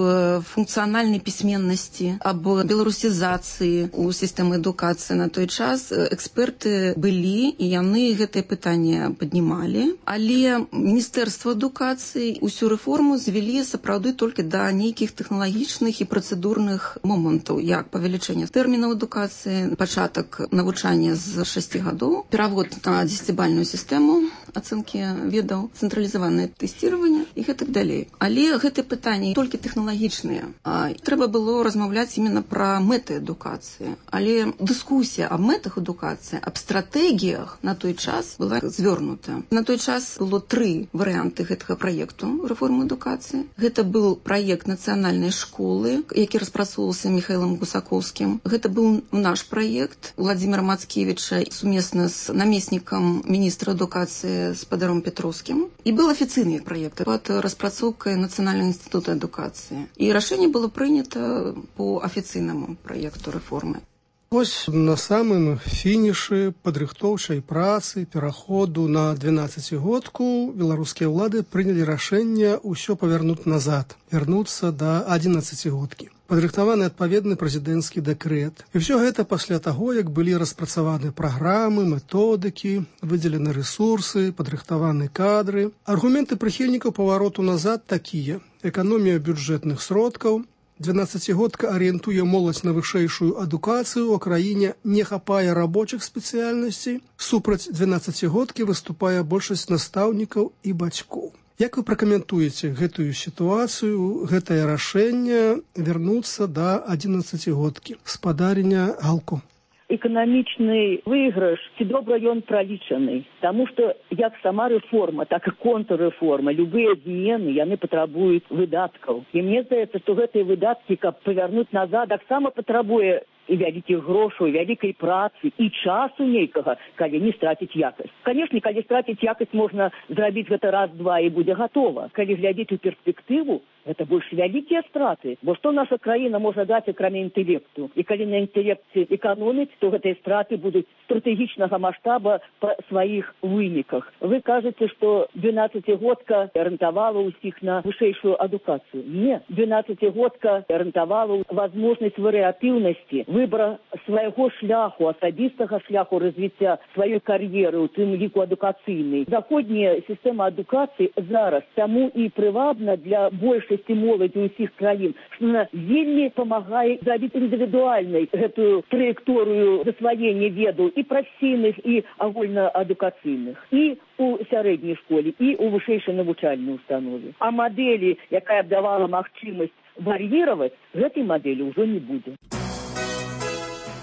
функцыянальнай пісьменнасці, аб беларусізацыі ў сістэмы адукацыі на той час эксперты былі, і яны гэтае пытанне паднімалі, але Міністэрства адукацыі усю рэформу звялі сапраўды толькі да нейкіх тэхналагічных і працэдурных момантаў, як павелічэнне тэрмінаў адукацыі, пачатак навучання з шасці гадоў, перавод на дзесяцібальную сістэму ацэнкі ведаў, цэнтралізаванае тэсціраванне і гэтак далей. Але гэтыя пытанні толькі тэхналагічныя. А трэба было размаўляць именно пра мэты адукацыі. Але дыскусія аб мэтах адукацыі, аб стратэгіях на той час была звёрнута. На той час было тры варыянты гэтага праекту рэформы адукацыі. Гэта быў праект нацыянальнай школы, які распрацоўваўся Міхаілам Гусакоўскім. Гэта быў наш праект Владзіміра Мацкевіча сумесна з намеснікам міністра адукацыі спадаром Петроўскім. І быў афіцыйны праект пад распрацоўкай Нацыянальнага інстытута адукацыі. І рашэнне было прынята по афіцыйнаму праекту рэформы. Вось на самым фінішы падрыхтоўчай працы пераходу на дванаццацігодку беларускія ўлады прынялі рашэнне ўсё павярнуць назад, вярнуцца да адзінаццацігодкі. Падрыхтаваны адпаведны прэзідэнцкі дэкрэт. І ўсё гэта пасля таго, як былі распрацаваны праграмы, методыкі, выдзелены рэсурсы, падрыхтаваны кадры. Аргументы прыхільнікаў павароту назад такія: эканомія бюджэтных сродкаў, дванаццацігодка арыентуе моладзь на вышэйшую адукацыю, у краіне не хапае рабочых спецыяльнасцей, супраць дванаццацігодкі выступае большасць настаўнікаў і бацькоў. Як вы пракаментуеце гэтую сітуацыю, гэтае рашэнне вярнуцца да адзінаццацігодкі? Спадарня Галко. Эканамічны выйгрыш, ці добра ён пралічаны. Таму што як сама рэформа, так і контррэформа, любыя змены, яны патрабуюць выдаткаў. І мне здаецца, што гэтыя выдаткі, каб павярнуць назад, таксама патрабуе і вялікіх грошаў, вялікай працы, і часу нейкага, калі не страціць якасць. Канешне, калі страціць якасць, можна зрабіць гэта раз-два і будзе гатова. Калі глядзець у перспектыву, Гэта больш вялікія страты. Бо што наша краіна можа даць акрамя інтэлекту? І калі на інтэлекце эканоміць, то гэтыя страты будуць стратэгічнага маштаба па сваіх выніках. Вы кажаце, што двенаццацігодка арыентавала ўсіх на вышэйшую адукацыю. Не, двенаццацігодка арыентавала возможнасць варыятыўнасці, выбора свайго шляху, асабістага шляху развіцця сваёй кар'еры, у тым ліку адукацыйнай. Заходняя сістэма адукацыі зараз таму і прывабна для большасці моладзі ўсіх краін, што она вельмі памагае зрабіць індывідуальнай гэтую траекторыю засваення ведаў і прафесійных, і агульнаадукацыйных, і у сярэдняй школе, і у вышэйшай навучальнай установе. А мадэлі, якая б давала магчымасць вар'іраваць, гэтай мадэлі ўжо не будзе.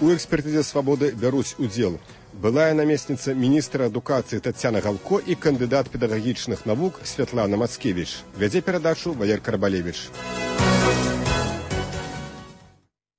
У экспертызе «Свабоды» бяруць удзел былая намесніца міністра адукацыі Тацяна Галко і кандыдат педагагічных навук Святлана Мацкевіч. Вядзе перадачу Валер Карбалевіч.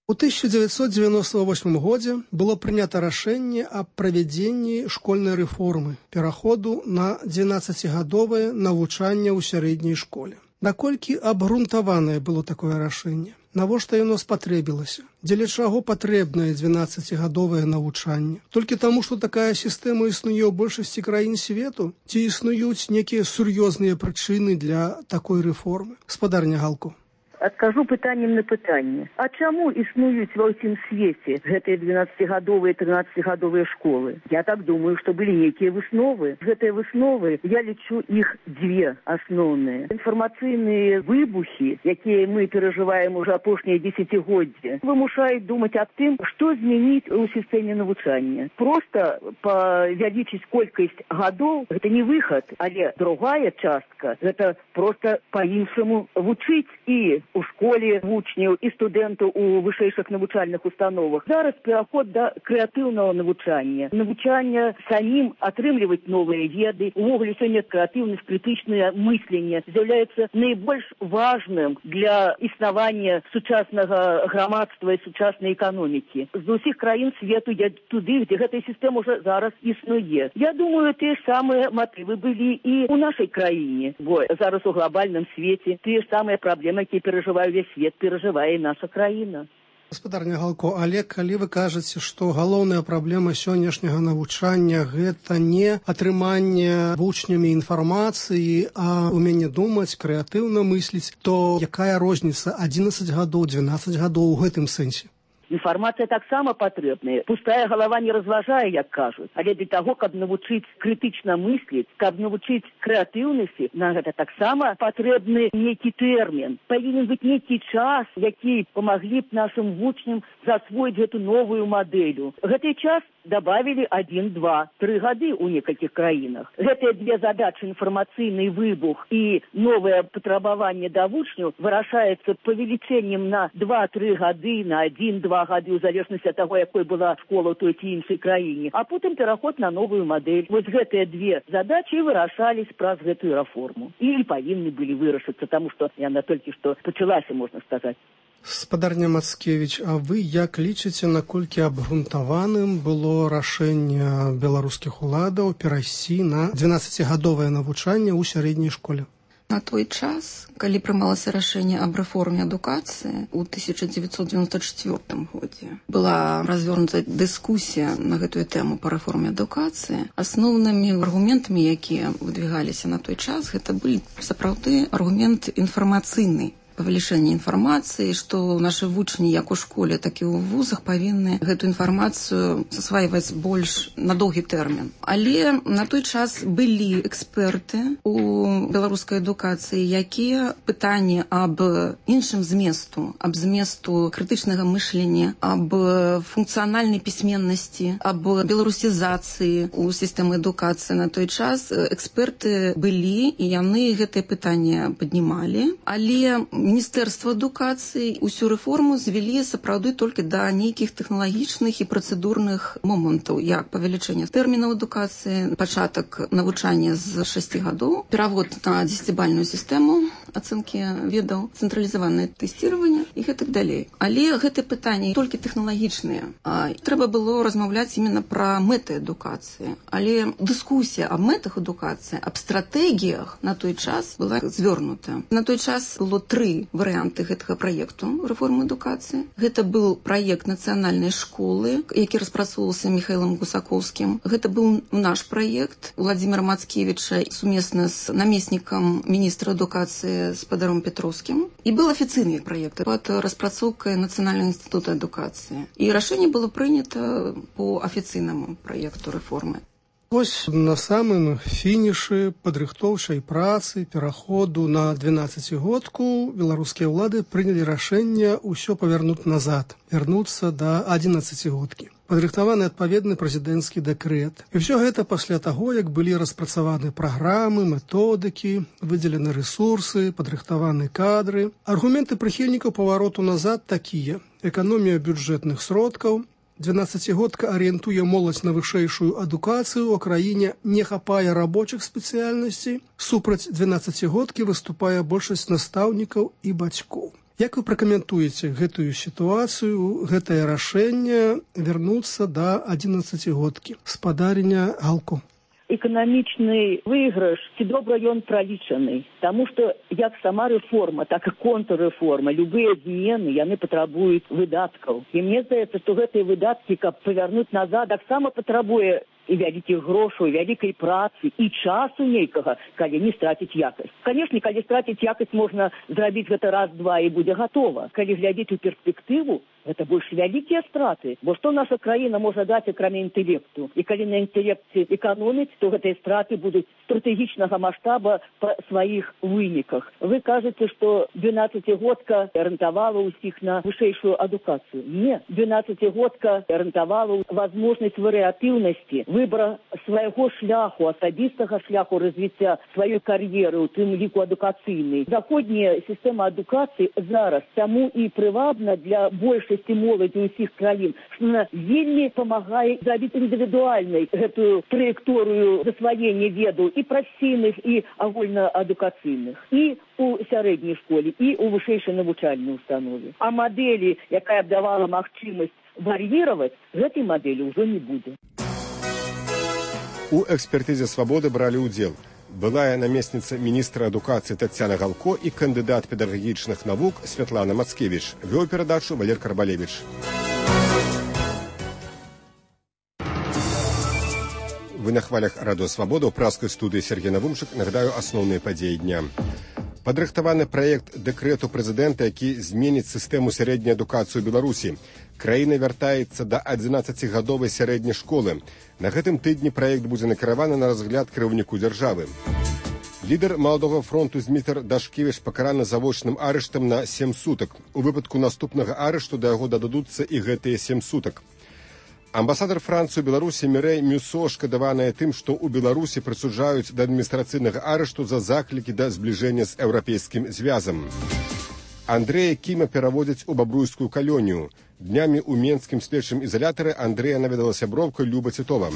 У тысяча девятьсот девяносто восьмым годзе было прынята рашэнне аб правядзенні школьнай рэформы, пераходу на двенаццацігадовае навучанне ў сярэдняй школе. Наколькі абгрунтаванае было такое рашэнне? Навошта яно спатрэбілася? Дзеля чаго патрэбнае двенаццацігадовае навучанне? Толькі таму, што такая сістэма існуе ў большасці краін свету? Ці існуюць некія сур'ёзныя прычыны для такой рэформы? Спадарня Галко. Адкажу пытаннем на пытанне. А чаму існуюць ва ўсім свеце гэтыя двенаццацігадовыя, трынаццацігадовыя школы? Я так думаю, што былі нейкія высновы. Гэтыя высновы, я лічу іх дзве асноўныя. Інфармацыйныя выбухі, якія мы перажываем уже апошнія дзесяцігоддзі, вымушаюць думаць аб тым, што змяніць у сістэме навучання. Проста павялічыць колькасць гадоў, гэта не выхад, але другая частка, гэта проста па-іншаму вучыць і у школе вучняў і студэнтаў у вышэйшых навучальных установах. Зараз пераход да крэатыўнага навучання. Навучання самім атрымліваць новыя веды. Увогуле сёння крэатыўнасць, крытычнае мысленне з'яўляецца найбольш важным для існавання сучаснага грамадства і сучаснай эканомікі. З усіх краін свету я туды, дзе гэтая сістэма ўжо зараз існуе. Я думаю, тыя ж самыя матывы былі і ў нашай краіне. Бо зараз у глобальным свеце тыя ж самыя праблемы, якія перажывае весь свет, перажывае і наша краіна. Гаспадарня Галко, але калі вы кажаце, што галоўная праблема сённяшняга навучання гэта не атрыманне вучнямі інфармацыі, а ўменне думаць, крэатыўна мысліць, то якая розніца адзінаццаць гадоў, двенаццаць гадоў у гэтым сэнсе? Інфармацыя таксама патрэбная. Пустая галава не разважае, як кажуць. Але для таго, каб навучыць крытычна мысліць, каб навучыць крэатыўнасці, на гэта таксама патрэбны нейкі тэрмін. Павінен быць нейкі час, які памаглі б нашым вучням засвоіць гэту новую мадэлю. Гэты час добавили один, два, три гады у некалькіх краінах. Гэтыя две задачы, інфармацыйны выбух і новае патрабаванне да вучняў, вырашаецца павелічэннем на два-тры гады, на один-два гады, у залежнасці ад таго, якой была школа ў той ці іншай краіне, а потым пераход на новую мадэль. Вось гэтыя две задачы вырашались праз гэтую рэформу. І павінны былі вырашыцца, таму што яна толькі што пачалася, можна сказаць. Спадарня Мацкевіч, а вы як лічыце, наколькі абгрунтаваным было рашэнне беларускіх уладаў перайсці на двенаццацігадовае навучанне ў сярэдняй школе? На той час, калі прымалася рашэнне аб рэформе адукацыі ў тысяча дзевяцьсот дзевяносто чвёртым годзе, была развернута дыскусія на гэтую тэму па рэформе адукацыі. Асноўнымі аргументамі, якія выдвигаліся на той час, гэта былі сапраўды аргумент інфармацыйны. Павелічэнне інфармацыі, што нашы вучні як у школе, так і ў вузах павінны гэту інфармацыю засвайваць больш на доўгі тэрмін. Але на той час былі эксперты у беларускай адукацыі, якія пытанні аб іншым зместу, аб зместу крытычнага мышлення, аб функцыянальнай пісьменнасці, аб беларусізацыі ў сістэмы адукацыі на той час эксперты былі, і яны гэтае пытанне паднімалі, але Міністэрства адукацыі усю рэформу звялі сапраўды толькі да нейкіх тэхналагічных і працэдурных момантаў, як павелічэнне тэрмінаў адукацыі, пачатак навучання з шасці гадоў, перавод на дзесяцібальную сістэму ацэнкі ведаў, цэнтралізаванае тэсціраванне і гэтак далей. Але гэтыя пытанні толькі тэхналагічныя. А трэба было размаўляць именно пра мэты адукацыі. Але дыскусія аб мэтах адукацыі, аб стратэгіях на той час была звёрнута. На той час было тры тры варыянты гэтага праекту рэформы адукацыі. Гэта быў праект нацыянальнай школы, які распрацоўваўся Михаилом Гусаковскім. Гэта быў наш праект Владимира Мацкевича сумесна з намеснікам міністра адукацыі спадаром Петровскім. І был афіцыйны праект пад распрацоўкай Нацыянальнага інстытута адукацыі. І рашэнне было прынята по афіцыйнаму праекту рэформы. Вось на самым фінішы падрыхтоўчай працы пераходу на двенаццацігодку беларускія ўлады прынялі рашэнне ўсё павярнуць назад, вярнуцца да адзінаццацігодкі. Падрыхтаваны адпаведны прэзідэнцкі дэкрэт. І ўсё гэта пасля таго, як былі распрацаваны праграмы, методыкі, выдзелены рэсурсы, падрыхтаваны кадры. Аргументы прыхільнікаў павароту назад такія: эканомія бюджэтных сродкаў, двенаццацігодка арыентуе моладзь на вышэйшую адукацыю, у краіне не хапае рабочых спецыяльнасцей, супраць двенаццацігодкі выступае большасць настаўнікаў і бацькоў. Як вы пракаментуеце гэтую сітуацыю, гэтае рашэнне вярнуцца да адзінаццацігодкі? Спадарня Галко. Эканамічны выйгрыш, ці добра ён пралічаны. Таму што як сама рэформа, так і контррэформа, любыя змены, яны патрабуюць выдаткаў. І мне здаецца, што гэтыя выдаткі, каб павярнуць назад, таксама патрабуе і вялікіх грошаў, і вялікай працы, і часу нейкага, калі не страціць якасць. Канешне, калі страціць якасць, можна зрабіць гэта раз-два і будзе гатова. Калі глядзець у перспектыву, гэта больш вялікія страты. Бо што наша краіна можа даць, акрамя інтэлекту? І калі на інтэлекце эканоміць, то гэтыя страты будуць стратэгічнага маштаба па сваіх выніках. Вы кажаце, што двенаццацігодка арыентавала ўсіх на вышэйшую адукацыю. Не, двенаццацігодка арыентавала возможнасць варыятыўнасці, выбора свайго шляху, асабістага шляху развіцця сваёй кар'еры, у тым ліку адукацыйнай. Заходняя сістэма адукацыі зараз таму і прывабна для большасці моладзі ўсіх краін, што она вельмі памагае зрабіць індывідуальнай гэтую траекторыю засваення ведаў і прафесійных, і агульнаадукацыйных, і у сярэдняй школе, і у вышэйшай навучальнай установе. А мадэлі, якая б давала магчымасць вар'іраваць, гэтай мадэлі ўжо не будзе. У экспертызе «Свабоды» бралі ўдзел былая намесніца міністра адукацыі Таццяна Галко і кандыдат педагагічных навук Святлана Мацкевіч. Вёў перадачу Валер Карбалевіч. Вы на хвалях радыё «Свабода» ў праскай студыі Сергей Навумчык. Нагадаю асноўныя падзеі дня. Падрыхтаваны праект дэкрэту прэзідэнта, які зменіць сістэму сярэдняй адукацыі ў Беларусі. Краіна вяртаецца да адзінаццацігадовай сярэдняй школы. На гэтым тыдні праект будзе накіраваны на разгляд кіраўніку дзяржавы. Лідар Маладога фронту Змітар Дашкевіч пакараны завочным арыштам на сем сутак. У выпадку наступнага арышту да яго дададуцца і гэтыя сем сутак. Амбасадар Францыі ў Беларусі Мірэй Мюсо шкадаваная тым, што ў Беларусі прысуджаюць да адміністрацыйнага арышту за заклікі да збліжэння з еўрапейскім звязам. Андрэя Кіма пераводзяць у бабруйскую калонію. Днямі ў менскім следчым ізалятары Андрэя наведала сяброўка Люба Цітова.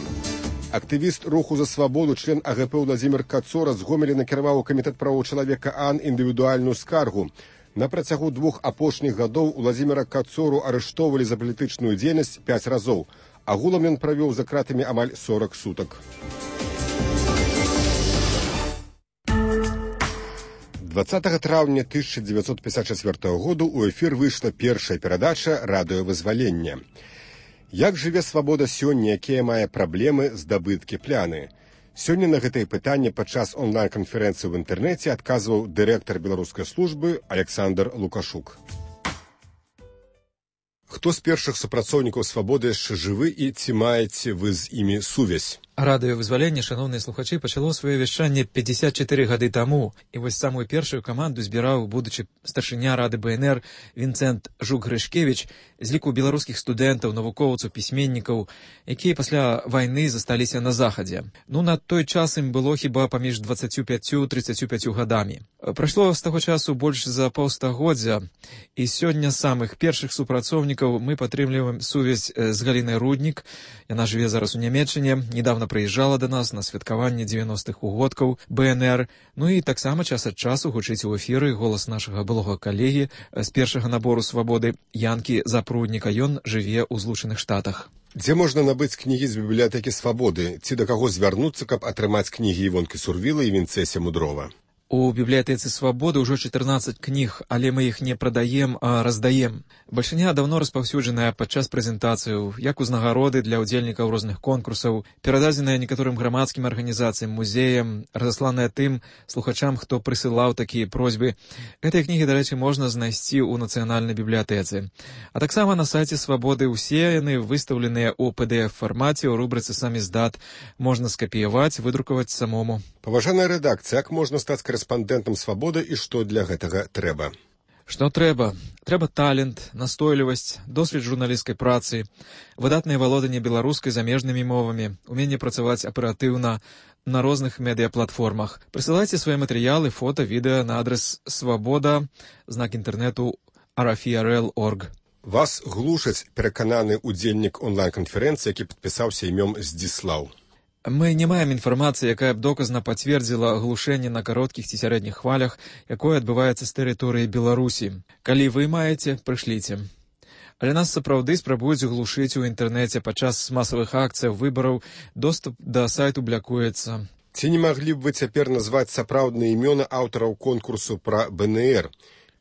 Актывіст руху за свабоду, член А Г П Владзімір Кацора з Гомеля накіраваў у камітэт правоў чалавека АН індывідуальную скаргу. На працягу двух апошніх гадоў Владзіміра Кацору арыштоўвалі за палітычную дзейнасць пяць разоў. Агулам ён правёў за кратамі амаль сорак сутак. дваццатага траўня тысяча дзевяцьсот пятьдесят четвёртого году у эфір выйшла першая перадача «Радыёвызвалення». Як жыве свабода сёння, якія мае праблемы, здабыткі, пляны? Сёння на гэтае пытанне падчас онлайн-канферэнцыі ў інтэрнэце адказваў дырэктар беларускай службы Александр Лукашук. Хто з першых супрацоўнікаў свабоды яшчэ жывы і ці маеце вы з імі сувязь? Радыёвызваленне, шаноўныя слухачы, пачало сваё вяшчанне пятьдесят четыре гады таму, і вось самую першую каманду збіраў будучы старшыня рады Б Н Р Вінцэнт Жук-Грышкевіч з ліку беларускіх студэнтаў, навукоўцаў, пісьменнікаў, якія пасля вайны засталіся на захадзе. Ну, на той час ім было хіба паміж дваццаццю пяццю трыццаццю пяццю гадамі. Прайшло з таго часу больш за паўстагоддзя, і сёння самых першых супрацоўнікаў мы падтрымліваем сувязь з Галінай Руднік. Яна жыве зараз у Нямецчыне, недавно прыязджала да нас на святкаванне дзевяностых угодкаў Б Н Р. Ну і таксама час ад часу гучыць у эфіры голас нашага былога калегі з першага набору свабоды Янкі Запрудніка. Ён жыве ў Злучаных Штатах. Дзе можна набыць кнігі з бібліятэкі свабоды? Ці да каго звярнуцца, каб атрымаць кнігі Івонкі Сурвіла і Вінцэся Мудрова? У бібліятэцы свабоды ўжо чатырнаццаць кніг, але мы іх не прадаем, а раздаем. Бальшыня даўно распаўсюджаная падчас прэзентацыяў, як узнагароды для ўдзельнікаў розных конкурсаў, перададзеная некаторым грамадскім арганізацыям, музеям, разасланая тым слухачам, хто прысылаў такія просьбы. Гэтыя кнігі, дарэчы, можна знайсці ў нацыянальнай бібліятэцы. А таксама на сайце свабоды ўсе яны выстаўленыя ў пі ді эф фармаце ў рубрыцы «Самиздат». Можна скапіяваць, выдрукаваць самому. Паважаная рэдакцыя, як можна стаць корэспандэнтам свабоды і што для гэтага трэба? Што трэба? Трэба талент, настойлівасць, досвед журналісцкай працы, выдатнае валоданне беларускай замежнымі мовамі, уменне працаваць аператыўна на розных медыяплатформах. Прысылайце свае матэрыялы, фота, відэа на адрес свабода, знак інтэрнэту арафіарэл точка орг. Вас глушаць перакананы ўдзельнік онлайн-канферэнцыі, які падпісаўся імём Здзіслаў. Мы не маем інфармацыі, якая б доказна пацвердзіла глушэнне на кароткіх ці сярэдніх хвалях, якое адбываецца з тэрыторыі Беларусі. Калі вы маеце, прышліце. Але нас сапраўды спрабуюць глушыць у інтэрнэце падчас масавых акцыяў, выбараў, доступ да сайту блякуецца. Ці не маглі б вы цяпер назваць сапраўдныя імёны аўтараў конкурсу пра бэ эн эр?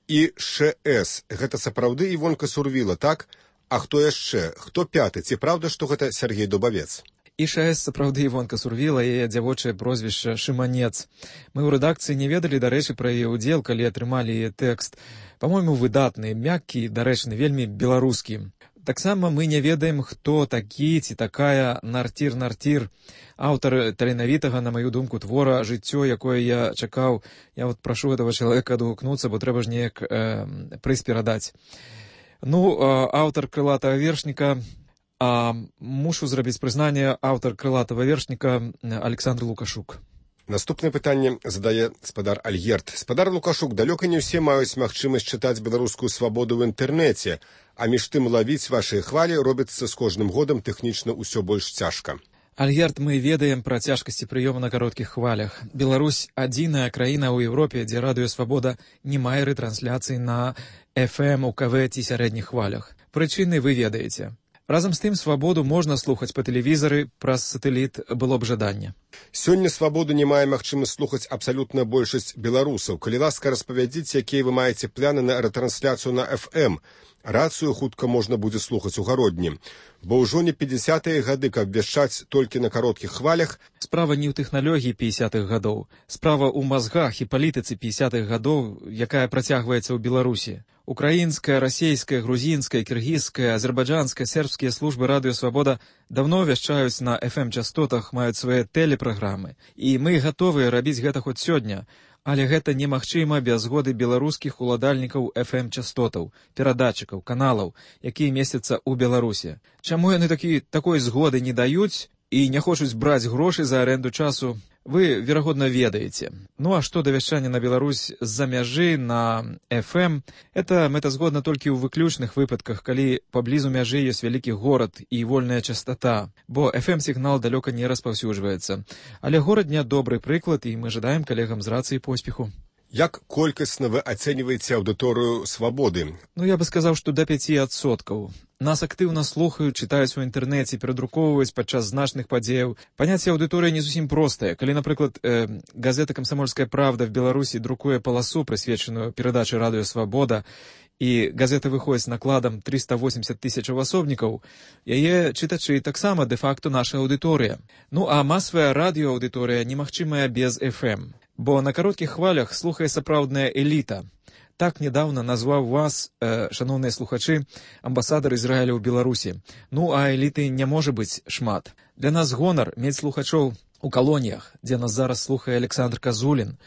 І ШС, гэта сапраўды Івонка Сурвіла, так? А хто яшчэ? Хто пяты? Ці праўда, што гэта Сергей Дубавец? І ШС сапраўды Івонка Сурвіла, яе дзявочае прозвішча Шыманец. Мы ў рэдакцыі не ведалі, дарэчы, пра яе ўдзел, калі атрымалі яе тэкст. Па-мойму, выдатны, мяккі, дарэчны, вельмі беларускі. Таксама мы не ведаем, хто такі ці такая Нартір-Нартір, аўтар таленавітага, на маю думку, твора «Жыццё», якое я чакаў. Я вот прашу гэтага чалавека адгукнуцца, бо трэба ж неяк э, прыз перадаць. Ну, э, аўтар крылатага вершніка, а мушу зрабіць прызнанне, аўтар крылатага вершніка Александр Лукашук. Наступнае пытанне задае спадар Альгерт. Спадар Лукашук, далёка не ўсе маюць магчымасць чытаць беларускую свабоду ў інтэрнэце, а між тым лавіць вашыя хвалі робіцца з кожным годам тэхнічна ўсё больш цяжка. Альгерт, мы ведаем пра цяжкасці прыёму на кароткіх хвалях. Беларусь — адзіная краіна ў Еўропе, дзе радыё «Свабода» не мае рэтрансляцыі на эф эм, у ка вэ ці сярэдніх хвалях. Прычыны вы ведаеце. Разам з тым, свабоду можна слухаць па тэлевізары, праз сатэліт было б жаданне. Сёння свабоду не мае магчымасць слухаць абсалютна большасць беларусаў. Калі ласка, распавядзіце, якія вы маеце пляны на рэтрансляцыю на эф эм. Рацыю хутка можна будзе слухаць у гародні. Бо ўжо не пятьдесятыя гады, каб вяшчаць толькі на кароткіх хвалях. Справа не ў тэхналогіі пятьдесятых гадоў. Справа ў мазгах і палітыцы пятьдесятых гадоў, якая працягваецца ў Беларусі. Украінская, расейская, грузінская, кіргізская, азербайджанская, сербскія службы радыё «Свабода» давно вяшчаюць на эф эм-частотах, маюць свае тэлепраграмы. І мы гатовыя рабіць гэта хоць сёння. Але гэта немагчыма без згоды беларускіх уладальнікаў эф эм-частотаў, перадатчыкаў, каналаў, якія месцяцца ў Беларусі. Чаму яны такі, такой згоды не даюць і не хочуць браць грошы за аренду часу, вы, верагодна, ведаеце. Ну а што да вяшчання на Беларусь з-за мяжы на эф эм, это мэтазгодна толькі ў выключных выпадках, калі паблізу мяжы ёсць вялікі горад і вольная частата, бо эф эм-сігнал далёка не распаўсюджваецца. Але горад не добры прыклад, і мы жадаем калегам з рацыі поспеху. Як колькасна вы ацэньваеце аўдыторыю свабоды? Ну, я бы сказаў, што да пяці адсоткаў. Нас актыўна слухаюць, чытаюць у інтэрнэце, перадрукоўваюць падчас значных падзеяў. Паняцце аўдыторыі не зусім простае. Калі, напрыклад, э, газета «Камсомольская правда» в Беларусі друкуе паласу, прысвечаную перадачы радыё «Свабода», і газета выходзіць накладам триста восемьдесят тысяч асобнікаў, яе чытачы таксама дэ-факто наша аўдыторыя. Ну, а масавая радыёаўдыторыя немагчымая без эф эм. Бо на кароткіх хвалях слухае сапраўдная эліта. Так нядаўна назваў вас, э, шаноўныя слухачы, амбасадар Ізраіля ў Беларусі. Ну, а эліты не можа быць шмат. Для нас гонар мець слухачоў у калоніях, дзе нас зараз слухае Александр Казулін,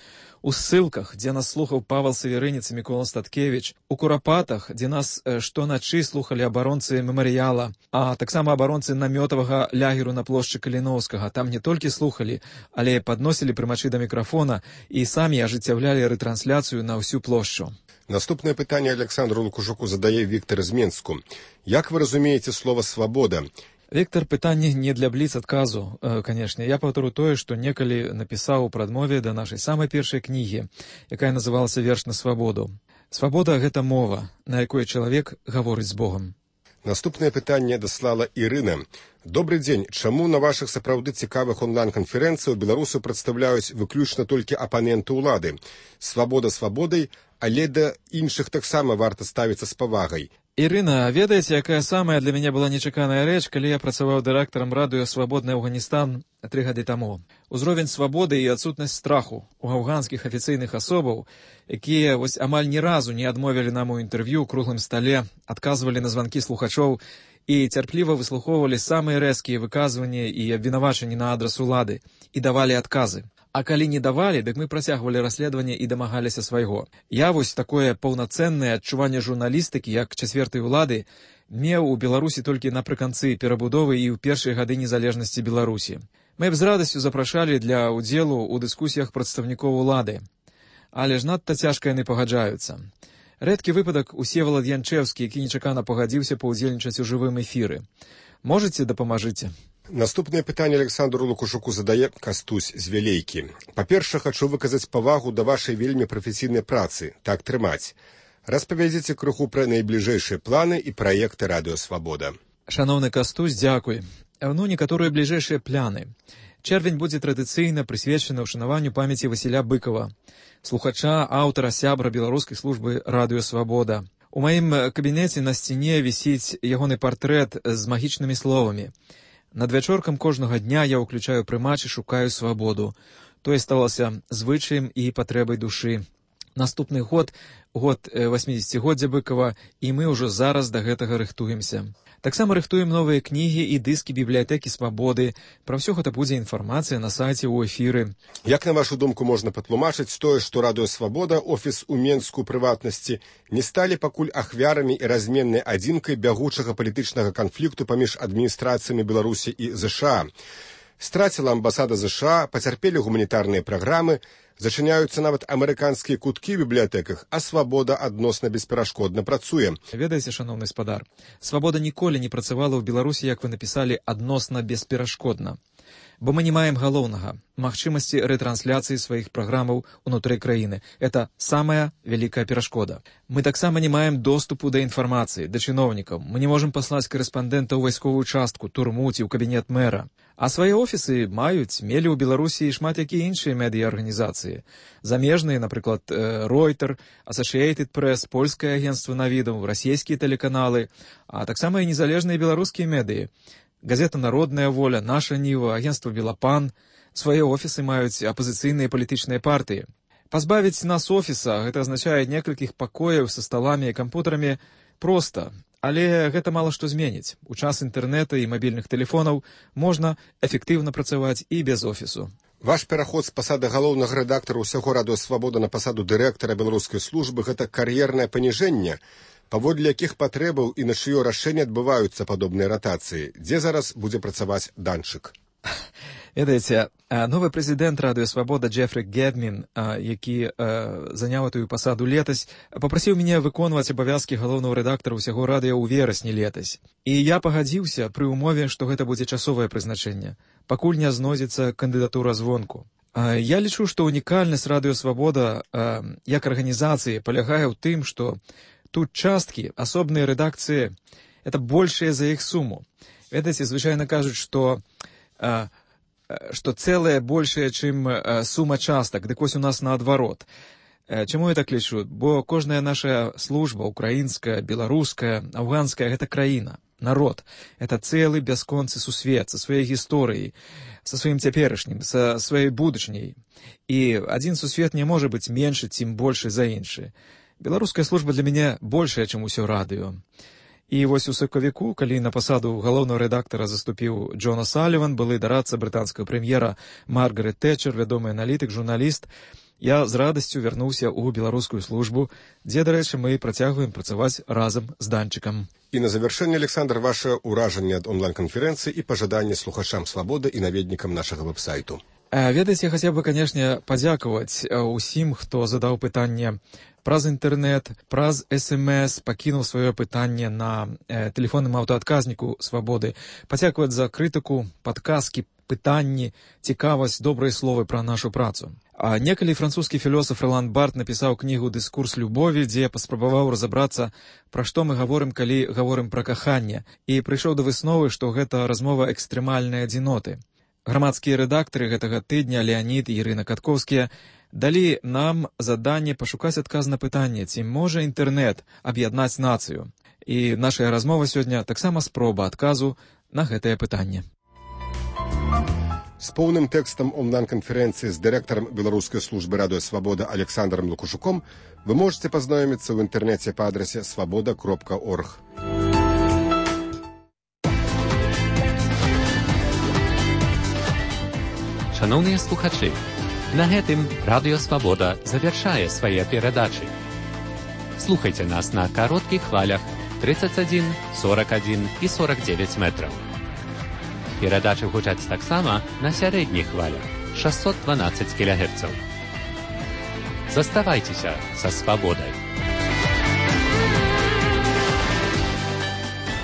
у ссылках, дзе нас слухаў Павел Саверынец і Мікола Статкевіч, у Курапатах, дзе нас э, штоначы слухалі абаронцы мемарыяла, а таксама абаронцы намётавага лягеру на плошчы Каліноўскага. Там не толькі слухалі, але падносілі прымачы да мікрафона і самі ажыццяўлялі рэтрансляцыю на ўсю плошчу. Наступнае пытанне Александру Лукашуку задае Віктор з Менску. Як вы разумееце слова «свабода»? Віктор, пытанне не для бліц-адказу, э, канешне. Я паўтору тое, што некалі напісаў у прадмове да нашай самай першай кнігі, якая называлася «Верш на свабоду». Свабода — гэта мова, на якой чалавек гаворыць з Богам. Наступнае пытанне даслала Ірына. Добры дзень. Чаму на вашых сапраўды цікавых онлайн-канферэнцыях беларусы прадстаўляюць выключна толькі апаненты ўлады? Свабода свабодай, але да іншых таксама варта ставіцца з павагай. Ірына, ведаеце, якая самая для мяне была нечаканая рэч, калі я працаваў дырэктарам радыё «Свабодны Афганістан» тры гады таму. Узровень свабоды і адсутнасць страху у афганскіх афіцыйных асобаў, якія вось амаль ні разу не адмовілі нам у інтэрв'ю ў круглым стале, адказвалі на званкі слухачоў і цярпліва выслухоўвалі самыя рэзкія выказванні і абвінавачанні на адрас улады і давалі адказы. А калі не давалі, дык мы працягвалі расследаванне і дамагаліся свайго. Я вось такое паўнацэннае адчуванне журналістыкі, як чацвертай улады, меў у Беларусі толькі напрыканцы перабудовы і ў першыя гады незалежнасці Беларусі. Мы б з радасцю запрашалі для ўдзелу ў дыскусіях прадстаўнікоў улады. Але ж надта цяжка яны пагаджаюцца. Рэдкі выпадак Усевалад Янчэўскі, які нечакана пагадзіўся паўдзельнічаць у жывым эфіры. Можаце дапамажыце? Наступнае пытанне Александру Лукашуку задае Кастусь з Вялейкі. Па-першае, хачу выказаць павагу да вашай вельмі прафесійнай працы. Так трымаць. Распавядзіце крыху пра найбліжэйшыя планы і праекты радыё «Свабода». Шаноўны Кастусь, дзякуй. Ну, некаторыя бліжэйшыя пляны. Чэрвень будзе традыцыйна прысвечаны ўшанаванню памяці Васіля Быкова, слухача, аўтара, сябра беларускай службы радыё «Свабода». У маім кабінеце на сцяне вісіць ягоны партрэт з магічнымі словамі. Над вячоркам кожнага дня я ўключаю прымач і шукаю свабоду. Тое сталася звычаем і патрэбай душы. Наступны год, год васьмідзесяцігоддзя Быкова, і мы ўжо зараз да гэтага рыхтуемся. Таксама рыхтуем новыя кнігі і дыскі бібліятэкі «Свабоды». Пра ўсё гэта будзе інфармацыя на сайце ў эфіры. Як, на вашу думку, можна патлумачыць тое, што радыё «Свабода», офіс у Менску прыватнасці, не сталі пакуль ахвярамі і разменнай адзінкай бягучага палітычнага канфлікту паміж адміністрацыямі Беларусі і ЗША? Страціла амбасада ЗША, пацярпелі гуманітарныя праграмы, зачыняюцца нават амерыканскія куткі ў бібліятэках, а «Свабода» адносна бесперашкодна працуе. Ведаеце, шаноўны спадар, «Свабода» ніколі не працавала ў Беларусі, як вы напісалі, адносна бесперашкодна. Бо мы не маем галоўнага – магчымасці рэтрансляцыі сваіх праграмаў унутры краіны. Это самая вялікая перашкода. Мы таксама не маем доступу да інфармацыі, да чыноўнікаў. Мы не можам паслаць карэспандэнта ў вайсковую частку, турму ці ў кабінет мэра. А свае офісы маюць, мелі ў Беларусі шмат якія іншыя медыа-арганізацыі. Замежныя, напрыклад, Ройтер, Associated Press, польскае агенцтва навідаў, расійскія тэлеканалы, а таксама і незалежныя беларускія медыі. Газета «Народная воля», «Наша Ніва», агентство «Белапан». Свае офісы маюць апазіцыйныя палітычныя партыі. Пазбавіць нас офіса – гэта азначае некалькіх пакояў са сталамі і кампутарамі проста. Але гэта мала што зменіць. У час інтэрнэта і мабільных тэлефонаў можна эфектыўна працаваць і без офісу. Ваш пераход з пасады галоўнага рэдактара ўсяго радыё «Свабода» на пасаду дырэктара беларускай службы – гэта кар'ернае паніжэнне, паводле якіх патрэбаў і на чыё рашэнне адбываюцца падобныя ратацыі. Дзе зараз будзе працаваць Данчык? Ведаеце, новы прэзідэнт радыё «Свабода» Джефры Гедмін, які заняў этую пасаду летась, папрасіў мяне выконваць абавязкі галоўнага рэдактара ўсяго радыё ў верасні летась. І я пагадзіўся пры ўмове, што гэта будзе часовае прызначэнне, пакуль не знойдзецца кандыдатура звонку. Я лічу, што унікальнасць радыё «Свабода» як арганізацыі палягае ў тым, што тут часткі, асобныя рэдакцыі – это большая за іх суму. Ведаеце, звычайна кажуць, што што цэлае большае, чым сума частак. Дык вось у нас наадварот. Чаму я так лічу? Бо кожная наша служба, украінская, беларуская, афганская – гэта краіна, народ. Это цэлы бясконцы сусвет са сваёй гісторыяй, са сваім цяперашнім, са сваёй будучняй. І адзін сусвет не можа быць меншы, цім большы за іншы. Беларуская служба для мяне большая, чым усё радыё. І вось у сакавіку, калі на пасаду галоўнага рэдактара заступіў Джон О'Саліван, былы дарадца брытанскага прэм'ера Маргарет Тэтчер, вядомы аналітык, журналіст, я з радасцю вярнуўся ў беларускую службу, дзе, дарэчы, мы працягваем працаваць разам з Данчыкам. І на завяршэнне, Александр, ваше ўражанне ад онлайн-канферэнцыі і пажаданне слухачам «Свабоды» і наведнікам нашага вэб-сайту. Ведаеце, я хацеў бы, канешне, падзякаваць усім, хто задаў пытанне праз інтэрнэт, праз эс эм эс, пакінуў сваё пытанне на э, тэлефонным аўтаадказніку «Свабоды». Падзякаваць за крытыку, падказкі, пытанні, цікавасць, добрыя словы пра нашу працу. А некалі французскі філосаф Ролан Барт напісаў кнігу «Дыскурс любові», дзе паспрабаваў разабрацца, пра што мы гаворым, калі гаворым пра каханне, і прыйшоў да высновы, што гэта размова экстрэмальнай адзіноты. Грамадскія рэдактары гэтага тыдня Леанід і Ірына Каткоўскія далі нам заданне пашукаць адказ на пытанне, ці можа інтэрнэт аб'яднаць нацыю. І наша размова сёння таксама спроба адказу на гэтае пытанне. З поўным тэкстам онлайн-канферэнцыі з дырэктарам беларускай службы радыё «Свабода» Александром Лукушуком вы можете пазнаёміцца ў інтэрнэце па адрасе свабода кропка орг. Шановныя слухачы, на гэтым радыё «Свабода» завяршае свае перадачы. Слухайце нас на кароткіх хвалях тридцать один, сорок один і сорок девять метраў. Перадачы гучаць таксама на сярэдніх хвалях шестьсот двенадцать кілогерцаў. Заставайцеся са свабодай.